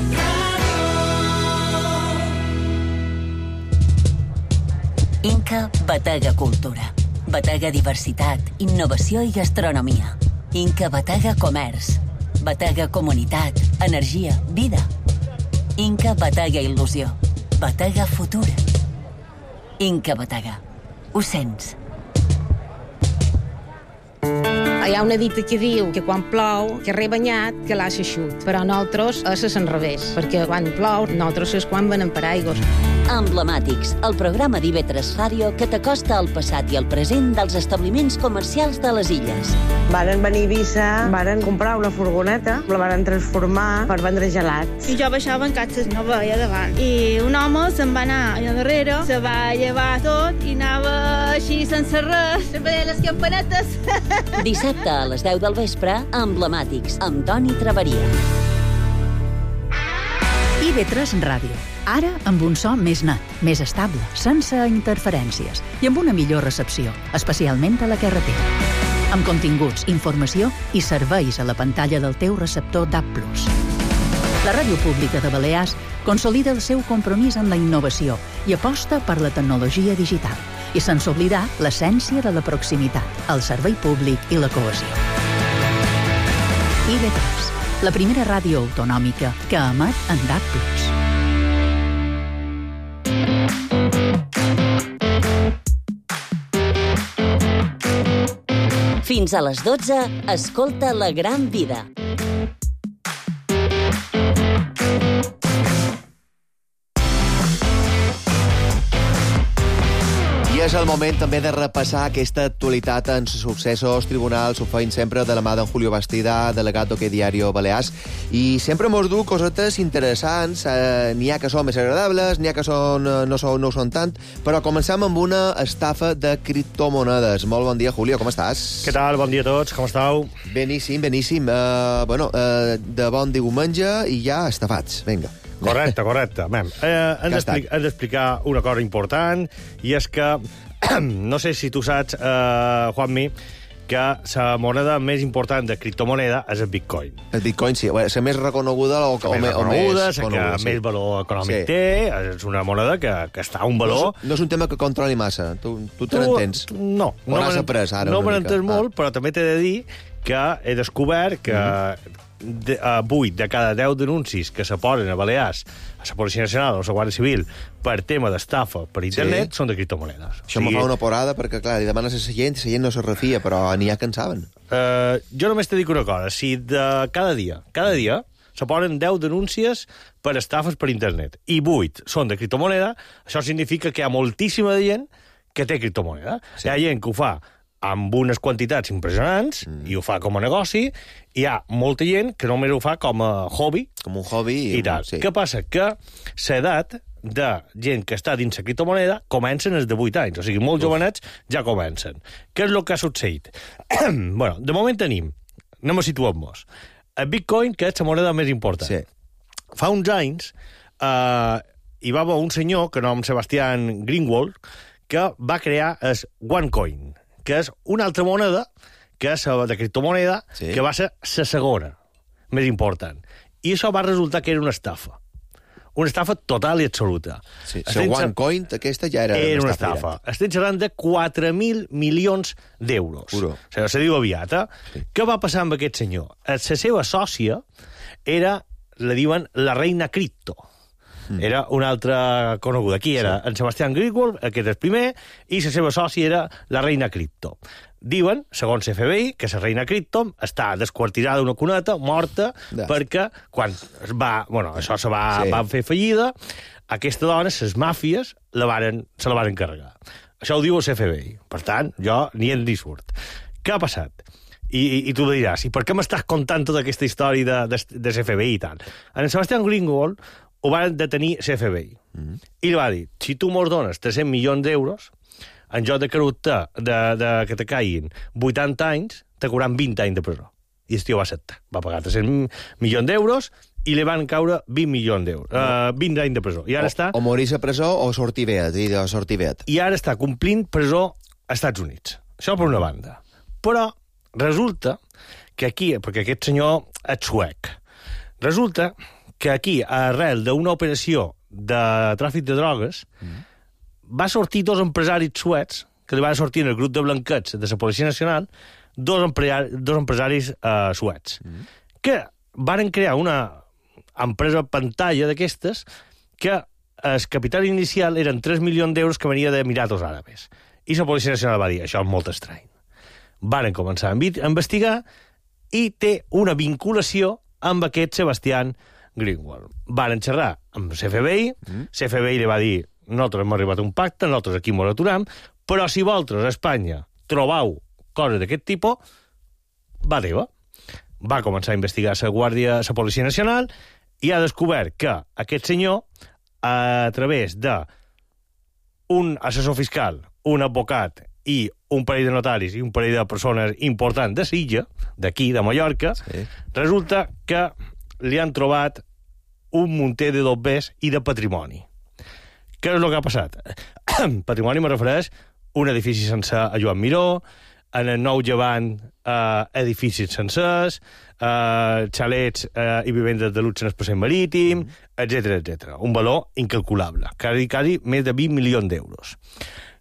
Speaker 2: Inca Batega Cultura. Batega Diversitat, Innovació i Gastronomia. Inca Batega Comerç. Batega Comunitat, Energia, Vida. Inca Batega Il·lusió. Batega Futur. Inca Batega. Ho sents?
Speaker 7: Hi ha una dita que diu que quan plou, que rebanyat, que l'ha xut. Però nosaltres és l'enrevés, perquè quan plou, nosaltres és quan venem per aigües.
Speaker 2: Emblemàtics, el programa d'I V tres Ràdio que t'acosta al passat i al present dels establiments comercials de les illes.
Speaker 8: Varen venir a Eivissa, varen comprar una furgoneta, la varen transformar per vendre gelats.
Speaker 9: I jo baixava en catxes, no veia davant. I un home se'n va anar allà darrere, se va llevar tot i anava així sense res, sempre deia les campanetes.
Speaker 2: Dissabte a les deu del vespre, Emblemàtics, amb Toni Traveria.
Speaker 10: I V tres Ràdio. Ara amb un so més net, més estable, sense interferències i amb una millor recepció, especialment a la carretera. Amb continguts, informació i serveis a la pantalla del teu receptor D A B plus. La Ràdio Pública de Balears consolida el seu compromís amb la innovació i aposta per la tecnologia digital, i sense oblidar l'essència de la proximitat, el servei públic i la cohesió. I V tres, la primera ràdio autonòmica que emet en D A B plus.
Speaker 2: Fins a les dotze, escolta La Gran Vida.
Speaker 3: I és el moment també de repassar aquesta actualitat en successos tribunals. Ho feim sempre de la mà d'en Julio Bastida, delegat d'Hockey Diario Balears. I sempre mos du cosetes interessants. Eh, n'hi ha que són més agradables, n'hi ha que són, no, són, no ho són tant. Però comencem amb una estafa de criptomonedes. Molt bon dia, Julio, com estàs?
Speaker 11: Què tal? Bon dia a tots, com estàu?
Speaker 3: Beníssim, beníssim. Uh, bueno, uh, de bon diumenge i ja estafats. Vinga.
Speaker 11: Correcte, correcte. Mem, eh, hem d'explicar una cosa important, i és que, no sé si tu saps, eh, Juanmi, que la moneda més important de criptomoneda és el Bitcoin.
Speaker 3: El Bitcoin, sí. La més reconeguda o,
Speaker 11: o, més, reconeguda, o més coneguda, que sí. Més valor econòmic sí. té, és una moneda que, que està a un valor...
Speaker 3: No és, no és un tema que controli massa. Tu, tu te n'entens?
Speaker 11: No.
Speaker 3: O
Speaker 11: no
Speaker 3: n'has après ara
Speaker 11: no
Speaker 3: una mica?
Speaker 11: No me n'entens molt, ah. però també t'he de dir que he descobert que... Mm. De, uh, vuit de cada deu denuncis que se posen a Balears, a la Policia Nacional o a la Guàrdia Civil per tema d'estafa per internet, sí. són de criptomonedes.
Speaker 3: Això o sigui, me fa una porada perquè, clar, li demanes a la gent, la gent no se refia, però n'hi ha que en saben.
Speaker 11: Uh, jo només te dic una cosa, si de cada dia, cada dia, se posen deu denúncies per estafes per internet i vuit són de criptomoneda, això significa que hi ha moltíssima de gent que té criptomoneda. Sí. Hi ha gent que ho fa amb unes quantitats impressionants, mm. i ho fa com a negoci, hi ha molta gent que només ho fa com a hobby.
Speaker 3: Com un hobby.
Speaker 11: I, i tal. Sí. Què passa? Que l'edat de gent que està dins la criptomoneda comencen els de vuit anys, o sigui, molts jovenets ja comencen. Què és el que ha succeït? bueno, de moment tenim, anem a situar-nos, el Bitcoin, que és la moneda més important.
Speaker 3: Sí.
Speaker 11: Fa uns anys eh, hi va haver un senyor, que nom Sebastian Greenwald, que va crear el OneCoin, que és una altra moneda, que és de criptomoneda, sí. que va ser la segona, més important. I això va resultar que era una estafa. Una estafa total i absoluta.
Speaker 3: Sí, la OneCoin, aquesta ja era,
Speaker 11: era una estafa. estafa. Estem xerrant de quatre mil milions d'euros.
Speaker 3: Puro.
Speaker 11: O sigui, se diu aviat, eh? Sí. Què va passar amb aquest senyor? La seva sòcia era, la diuen, la reina cripto. Era una altra coneguda. Aquí era sí. en Sebastian Greenwald, aquest és el primer, i la seva sòcia era la reina cripto. Diuen, segons F B I, que la reina cripto està desquartirada una cuneta, morta, ja. perquè quan es va, bueno, això se va, sí. va fer fallida, aquesta dona, les màfies, la varen, se la van encarregar. Això ho diu el F B I. Per tant, jo ni en dissurt. Què ha passat? I, i, i tu me diràs, i per què m'estàs contant tota aquesta història de, de, de F B I i tal? En Sebastian Greenwald ho van detenir la F B I. Mm. I li va dir, si tu mos dones tres-cents milions d'euros, en joc de caruta de, de, que te caiguin vuitanta anys, te cauran vint anys de presó. I el tio va acceptar. Va pagar tres-cents milions d'euros i li van caure vint milions d'euros. Uh, vint anys de presó. I ara
Speaker 3: o,
Speaker 11: està...
Speaker 3: O morir a presó o sortir bé, o sortir bé.
Speaker 11: I ara està complint presó als Estats Units. Això per una banda. Però resulta que aquí, perquè aquest senyor és suec, resulta que aquí, arrel d'una operació de tràfic de drogues, mm. va sortir dos empresaris suets, que li van sortir en el grup de blanquets de la Policia Nacional, dos, emprea, dos empresaris uh, suets, mm. que van crear una empresa pantalla d'aquestes que el capital inicial eren tres milions d'euros que venia d'Emiratos Àrabes. I la Policia Nacional va dir, això és molt estrany. Van començar a investigar i té una vinculació amb aquest Sebastián Greenwald. Van xerrar amb C F B I, mm. C F B I li va dir, nosaltres hem arribat a un pacte, nosaltres aquí ens aturam, però si vosaltres a Espanya trobau coses d'aquest tipus, va teva. Va començar a investigar la Guàrdia, la Policia Nacional, i ha descobert que aquest senyor, a través d'un assessor fiscal, un advocat i un parell de notaris i un parell de persones importants de Silla, d'aquí, de Mallorca, sí. Resulta que li han trobat un munter de dobbers i de patrimoni. Què és el que ha passat? Patrimoni me refereix un edifici sencer a Joan Miró, en el nou Llevant eh, edificis sencers, eh, xalets eh, i vivendes de luxe en el passeig marítim, etcètera, etcètera. Un valor incalculable, quasi, quasi més de vint milions d'euros.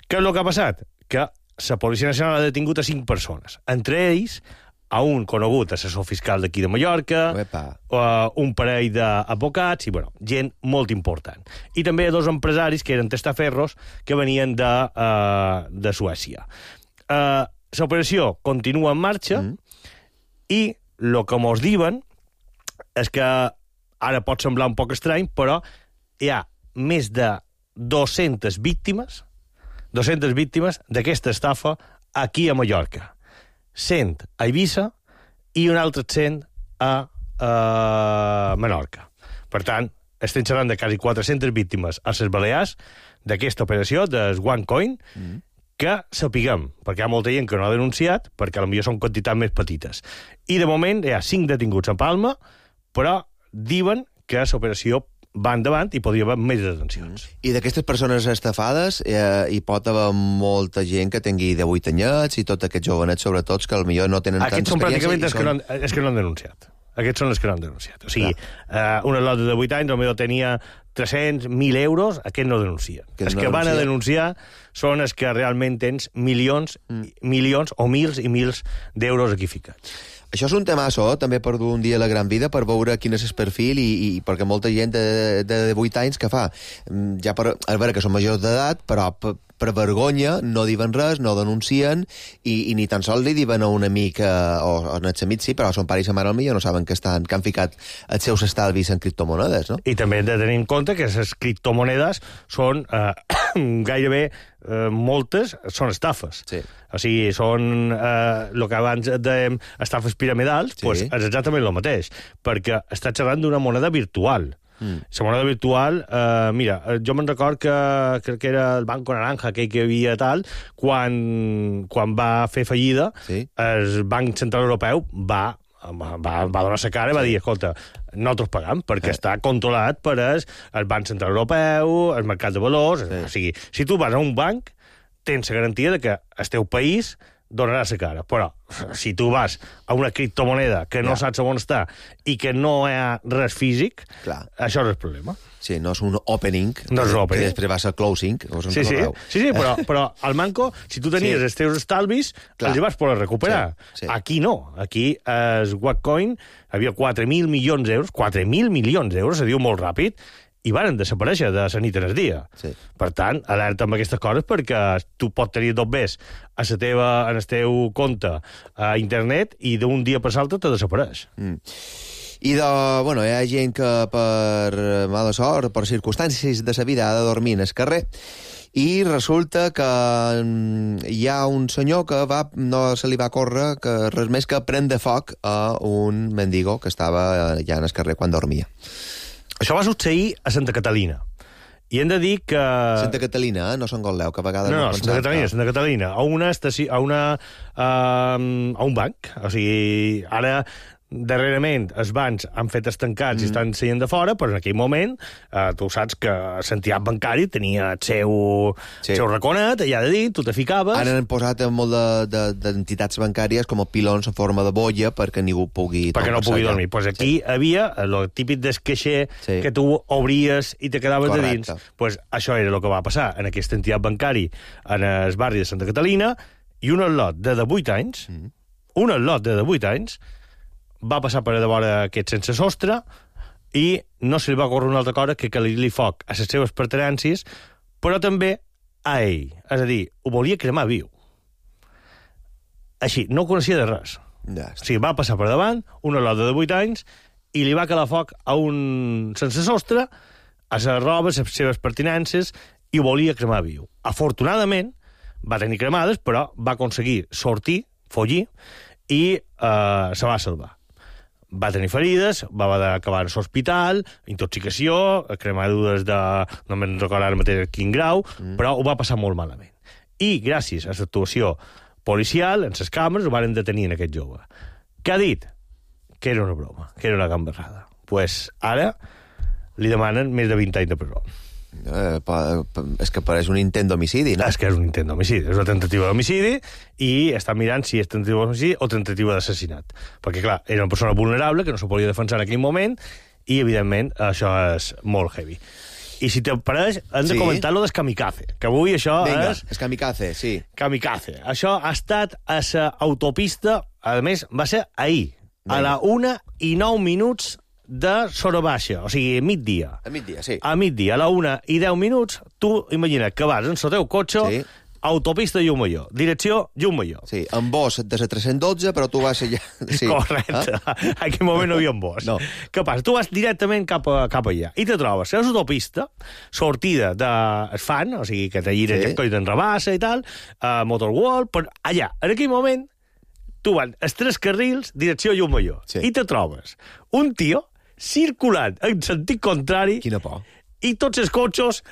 Speaker 11: Què és el que ha passat? Que la Policia Nacional ha detingut a cinc persones, entre ells a un conegut assessor fiscal d'aquí de Mallorca, uh, un parell d'advocats i, bueno, gent molt important. I també dos empresaris que eren testaferros que venien de, uh, de Suècia. Uh, L'operació continua en marxa mm. i el que mos diuen és que ara pot semblar un poc estrany, però hi ha més de dues-centes víctimes dues-centes víctimes d'aquesta estafa aquí a Mallorca. cent a Eivissa i un altre cent a, a Menorca. Per tant, estem xerrant de quasi quatre-centes víctimes a les Balears d'aquesta operació, del OneCoin, mm. que sapiguem, perquè hi ha molta gent que no ha denunciat, perquè potser són quantitats més petites. I de moment hi ha cinc detinguts a Palma, però diuen que l'operació va endavant i podria haver més detencions.
Speaker 3: I d'aquestes persones estafades eh, hi pot haver molta gent que tingui divuit anyets i tots aquests jovenets, sobretot, que potser no tenen tanta experiència.
Speaker 11: Aquests són pràcticament els
Speaker 3: són...
Speaker 11: que, no han, els que no han denunciat. Aquests són els que no han denunciat. O sigui, eh, una lot de divuit anys potser tenia tres-cents mil euros, aquests no denuncien. Que els no que van a denunciar són els que realment tens milions, mm. milions o mils i mils d'euros aquí ficats.
Speaker 3: Això és un temasso, també per dur un dia a la gran vida, per veure quin és el perfil i, i perquè molta gent de, de divuit anys que fa, ja per, a veure que són majors d'edat, però per, per vergonya no diuen res, no denuncien i, i ni tan sols li diuen a un amic eh, o, o els amics sí, però son pare i sa mare potser no saben que, estan, que han ficat els seus estalvis en criptomonedes, no?
Speaker 11: I també hem de tenir en compte que les criptomonedes són eh, gairebé eh, moltes són estafes. Sí. O sigui, són eh, el que abans dèiem estafes piramidals, sí. Pues és exactament el mateix, perquè està xerrant d'una moneda virtual. Mm. La moneda virtual, eh, mira, jo me'n record que crec que era el Banco Naranja, aquell que hi havia tal, quan, quan va fer fallida, sí. El Banc Central Europeu va Va, va donar la cara i va dir, escolta, nosaltres pagam, perquè eh. està controlat per el, el Banc Central Europeu, el mercat de valors, sí. O sigui, si tu vas a un banc, tens la garantia de que el teu país donarà la cara, però si tu vas a una criptomoneda que no ja. Saps on està i que no hi ha res físic, clar. Això és el problema.
Speaker 3: Sí, no és un opening,
Speaker 11: no és opening.
Speaker 3: Que després va ser closing.
Speaker 11: Sí, sí, sí, sí, però, però al Manco, si tu tenies sí. Els teus estalvis, clar. Els vas poder recuperar. Sí, sí. Aquí no. Aquí, el OneCoin, havia quatre mil milions d'euros, quatre mil milions d'euros, se diu molt ràpid, i van desaparèixer de la nit en el dia. Sí. Per tant, alerta amb aquestes coses perquè tu pots tenir dobbers a la teva, en el teu compte a internet i d'un dia per l'altre te desapareix. Mm.
Speaker 3: I de, bueno, hi ha gent que per mala sort, per circumstàncies de la vida, ha de dormir en el carrer, i resulta que hi ha un senyor que va, no se li va córrer que res més que prendre foc a un mendigo que estava ja en el carrer quan dormia.
Speaker 11: Això va succeir a Santa Catalina. I hem de dir que...
Speaker 3: Santa Catalina, eh? No són Goldeu, que a vegades...
Speaker 11: No, no, Santa Catalina, que... Santa Catalina. A una estació, a una... Uh, a un banc. O sigui, ara darrerament els bancs han fet estancats mm. i estan seient de fora, però en aquell moment eh, tu saps que l'entitat bancari tenia el seu, sí. seu raconet allà de dins, tu te ficaves...
Speaker 3: Ara han posat molt d'entitats de, de, bancàries com a pilons en forma de boia perquè ningú pugui...
Speaker 11: Perquè no pugui dormir. Pues aquí sí. havia el típic d'esqueixer sí. que tu obries i te quedaves Correcte. de dins. Pues això era el que va passar en aquesta entitat bancari en el barri de Santa Catalina, i un lot de divuit anys, mm. un lot de divuit anys, va passar per a de vora aquest sense sostre i no se li va córrer una altra cosa que calir-li foc a les seves pertenències, però també a ell. És a dir, ho volia cremar viu. Així, no ho coneixia de res.
Speaker 3: Ja
Speaker 11: o sigui, va passar per davant, un lot de divuit anys, i li va calar foc a un sense sostre, a les robes, a les seves pertinences, i ho volia cremar viu. Afortunadament, va tenir cremades, però va aconseguir sortir, follir, i eh, se va salvar. Va tenir ferides, va haver d'acabar a l'hospital, intoxicació, cremadures de... no me'n recordo ara mateix quin grau, mm. però ho va passar molt malament. I gràcies a l'actuació policial, en les càmeres, ho van detenir en aquest jove. Què ha dit? Que era una broma, que era una gamberrada. Doncs pues, ara li demanen més de vint anys de presó.
Speaker 3: Eh, pa, pa, és que pareix un intent d'homicidi, no?
Speaker 11: És que és un intent d'homicidi, és una tentativa d'homicidi i està mirant si és tentativa d'homicidi o tentativa d'assassinat. Perquè, clar, era una persona vulnerable que no se podia defensar en aquell moment i, evidentment, això és molt heavy. I si te pareix, hem de sí. comentar lo del kamikaze, que avui això
Speaker 3: Venga,
Speaker 11: és...
Speaker 3: és kamikaze, sí.
Speaker 11: Kamikaze. Això ha estat a l'autopista, a més, va ser ahir, Venga. a la una i nou minuts de Sora Baixa, o sigui, migdia.
Speaker 3: A migdia, sí.
Speaker 11: A migdia, a la una i deu minuts, tu imagina't que vas en el teu cotxe, sí. autopista Llumalló, direcció Llumalló.
Speaker 3: Sí, amb bus de la tres-cents dotze, però tu vas allà... Sí.
Speaker 11: Correcte. Ah? En aquell moment no hi havia bus. No. Què passa? Tu vas directament cap, a, cap allà i te trobes a l'autopista, sortida d'Esfan, o sigui, que te llires sí. coll d'enrabassa i tal, a Motorworld, però allà, en aquell moment, tu vas els tres carrils, direcció Llumalló, sí. i te trobes un tio circulant en sentit contrari.
Speaker 3: Quina por.
Speaker 11: I tots els cotxes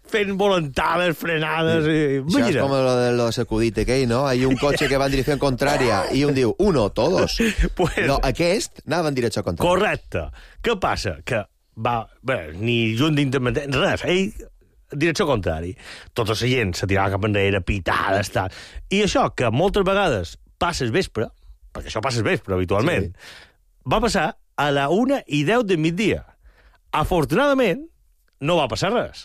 Speaker 11: fent volantades, frenades... I...
Speaker 3: Això és com lo de lo sacudit aquell, no? Hay un cotxe que va en direcció contrària i un diu, uno, todos. Pues... No, aquest anava en direcció contrària.
Speaker 11: Correcte. Què passa? Que va... Bé, ni junt d'intermittent, res. Ell, direcció contrària. Tota la gent se tirava cap enrere, pitades, tal. I això, que moltes vegades passes vespre, perquè això passes vespre habitualment, sí. va passar a la una i deu de migdia. Afortunadament, no va passar res,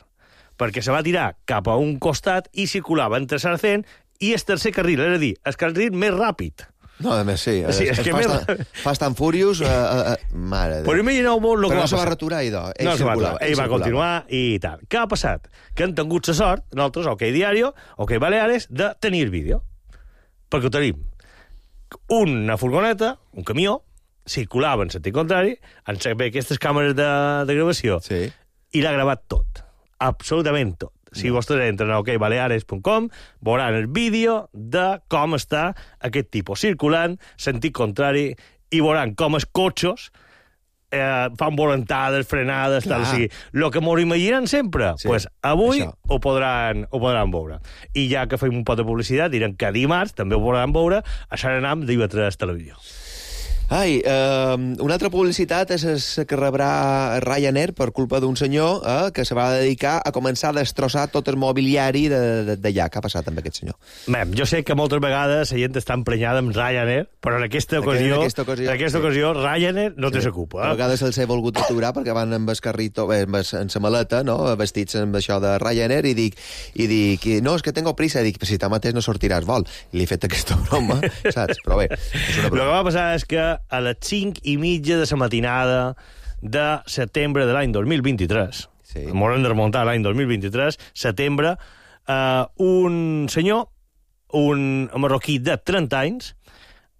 Speaker 11: perquè se va tirar cap a un costat i circulava entre Sarcent i el tercer carril, és a dir, el carril més ràpid.
Speaker 3: No, a més, sí.
Speaker 11: sí és, és que
Speaker 3: Fast,
Speaker 11: més...
Speaker 3: and, Fast and Furious, uh, uh, uh, mare de...
Speaker 11: Però imagineu-vos el que
Speaker 3: Però
Speaker 11: va
Speaker 3: no se va
Speaker 11: passar.
Speaker 3: retirar, idò. Ell
Speaker 11: no
Speaker 3: circulava.
Speaker 11: Ell, ell va continuar i tal. Què ha passat? Que han tingut la sort, nosaltres, OK Diario, OK Baleares, de tenir el vídeo. Perquè ho tenim. Una furgoneta, un camió, circulava en sentit contrari, han sabut aquestes càmeres de, de gravació,
Speaker 3: sí.
Speaker 11: i l'ha gravat tot. Absolutament tot. Si no. vostès entren a ok baleares punt com, veuran el vídeo de com està aquest tipus circulant, sentit contrari, i veuran com els cotxes eh, fan volantades, frenades, tal. O sigui, el que m'ho imaginen sempre, sí, pues avui ho podran, ho podran veure. I ja que fem un pot de publicitat, direm que dimarts també ho podran veure a Saranam d'I V tres Televisió.
Speaker 3: Ai, eh, una altra publicitat és la que rebrà Ryanair per culpa d'un senyor eh, que se va dedicar a començar a destrossar tot el mobiliari d'allà. De, de Què ha passat amb aquest senyor?
Speaker 11: Bé, jo sé que moltes vegades la gent està emprenyada amb Ryanair, però en aquesta ocasió, en aquesta ocasió, en aquesta sí. ocasió Ryanair no sí. té sa culpa. Eh?
Speaker 3: A vegades se'ls he volgut aturar perquè van amb el carrito, bé, amb la maleta, no? Vestits amb això de Ryanair, i dic, i dic no, és que tengo prisa, i dic, si tu mateix no sortiràs vol. I li he fet aquesta broma, saps? Però bé, és una broma.
Speaker 11: El que va passar és que a les cinc i mitja de la matinada de setembre de l'any dos mil vint-i-tres, sí. m'haurem de remuntar a l'any dos mil vint-i-tres, setembre, eh, un senyor, un marroquí de trenta anys,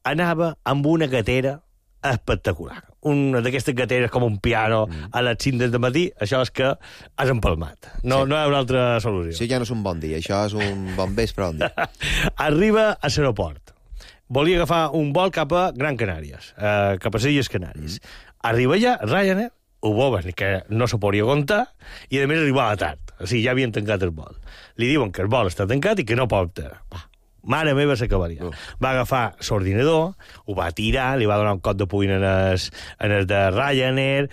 Speaker 11: anava amb una gatera espectacular. Una d'aquestes gateres com un piano mm. a les cinc del matí, això és que has empalmat. No, sí. no hi ha una altra solució.
Speaker 3: Això ja no és un bon dia, això és un bon vespre on dia.
Speaker 11: Arriba a l'aeroport. Volia agafar un vol cap a Gran Canàries, eh, cap a les Illes Canàries. Mm. Arriba allà, Ryanair, ho veuen que no se podia comptar, i a més arribava tard. O sigui, ja havien tancat el vol. Li diuen que el vol està tancat i que no pot... Va, Mare meva, s'acabaria. Uh. Va agafar l'ordinador, ho va tirar, li va donar un cop de puny en el, en el de Ryanair.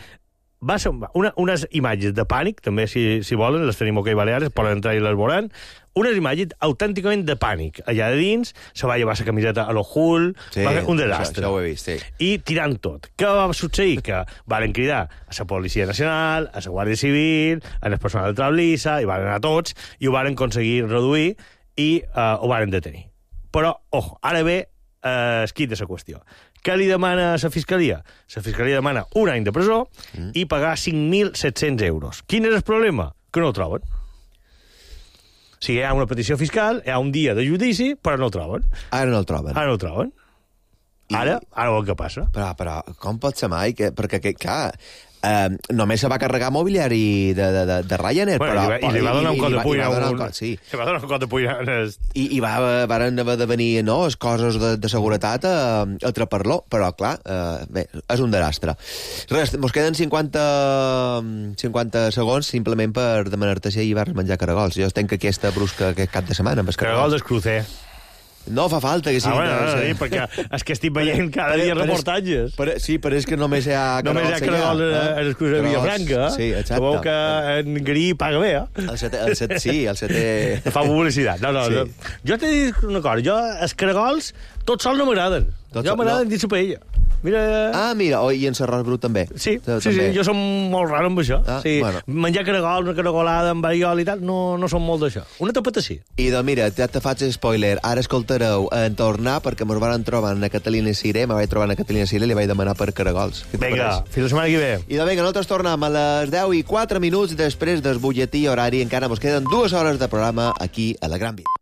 Speaker 11: Va ser una, unes imatges de pànic, també, si, si volen, les tenim ok Baleares, poden entrar i les veuran. Unes imatges autènticament de pànic. Allà de dins, se va llevar la camiseta a lo Hull, sí, va fer un desastre.
Speaker 3: Això, això ho he vist, sí.
Speaker 11: I tirant tot. Què va succeir? Que varen cridar a la Policia Nacional, a la Guàrdia Civil, a les persones del Trablissa, i varen a tots, i ho varen aconseguir reduir, i uh, ho varen detenir. Però, ojo, ara ve uh, el quid de la qüestió. Què li demana la Fiscalia? La Fiscalia demana un any de presó mm. i pagar cinc mil set-cents euros. Quin és el problema? Que no ho troben. O sigui, hi ha una petició fiscal, hi ha un dia de judici, però no ho troben.
Speaker 3: Ara no el troben.
Speaker 11: Ara no ho troben. I... Ara, ara el que passa.
Speaker 3: Però, però, com pot ser mai? Que, perquè, que, clar, eh, només se va carregar mobiliari de, de, de, de Ryanair,
Speaker 11: bueno,
Speaker 3: però...
Speaker 11: I, i li va donar un cop de puny a un...
Speaker 3: Sí.
Speaker 11: Li va donar un cop de puny a un...
Speaker 3: I, i va, van haver de venir, no, les coses de, de seguretat a, a trepar-lo, però, clar, eh, bé, és un desastre. Res, mos queden cinquanta, cinquanta segons simplement per demanar-te si ahir vas menjar caragols. Jo tenc aquesta brusca aquest cap de setmana amb els caragols.
Speaker 11: Caragols d'escrucer.
Speaker 3: No fa falta que sigui...
Speaker 11: Ah, bueno, no, no, sí, perquè és que estic veient cada dia reportatges.
Speaker 3: Per, sí, però és que només hi ha caragols.
Speaker 11: Només hi ha caragols a l'exclusió de Villafranca.
Speaker 3: Sí, exacte.
Speaker 11: Sabeu que en Garí paga bé, eh?
Speaker 3: El setè, el setè, sí, el setè...
Speaker 11: Fa publicitat. No, no, sí. no. Jo t'he dit una cosa. Jo, els caragols, tots sols no m'agraden. Jo m'agraden no. dins la paella. Mira...
Speaker 3: Ah, mira, oh, i en l'arròs brut també.
Speaker 11: Sí,
Speaker 3: també.
Speaker 11: sí, sí, jo som molt raro amb això.
Speaker 3: Ah,
Speaker 11: sí.
Speaker 3: bueno.
Speaker 11: Menjar caragol, una caragolada amb alliol i tal, no, no som molt d'això. Una tapeta sí.
Speaker 3: I doncs mira, ja te faig spoiler. Ara escoltareu en tornar, perquè mos van trobar a Catalina Cire, me vaig trobar a Catalina Cire i li vaig demanar per caragols.
Speaker 11: Vinga, fins la setmana que ve.
Speaker 3: I doncs vinga, nosaltres tornem a les deu i quatre minuts després del butlletí horari. Encara mos queden dues hores de programa aquí a la Gran Via.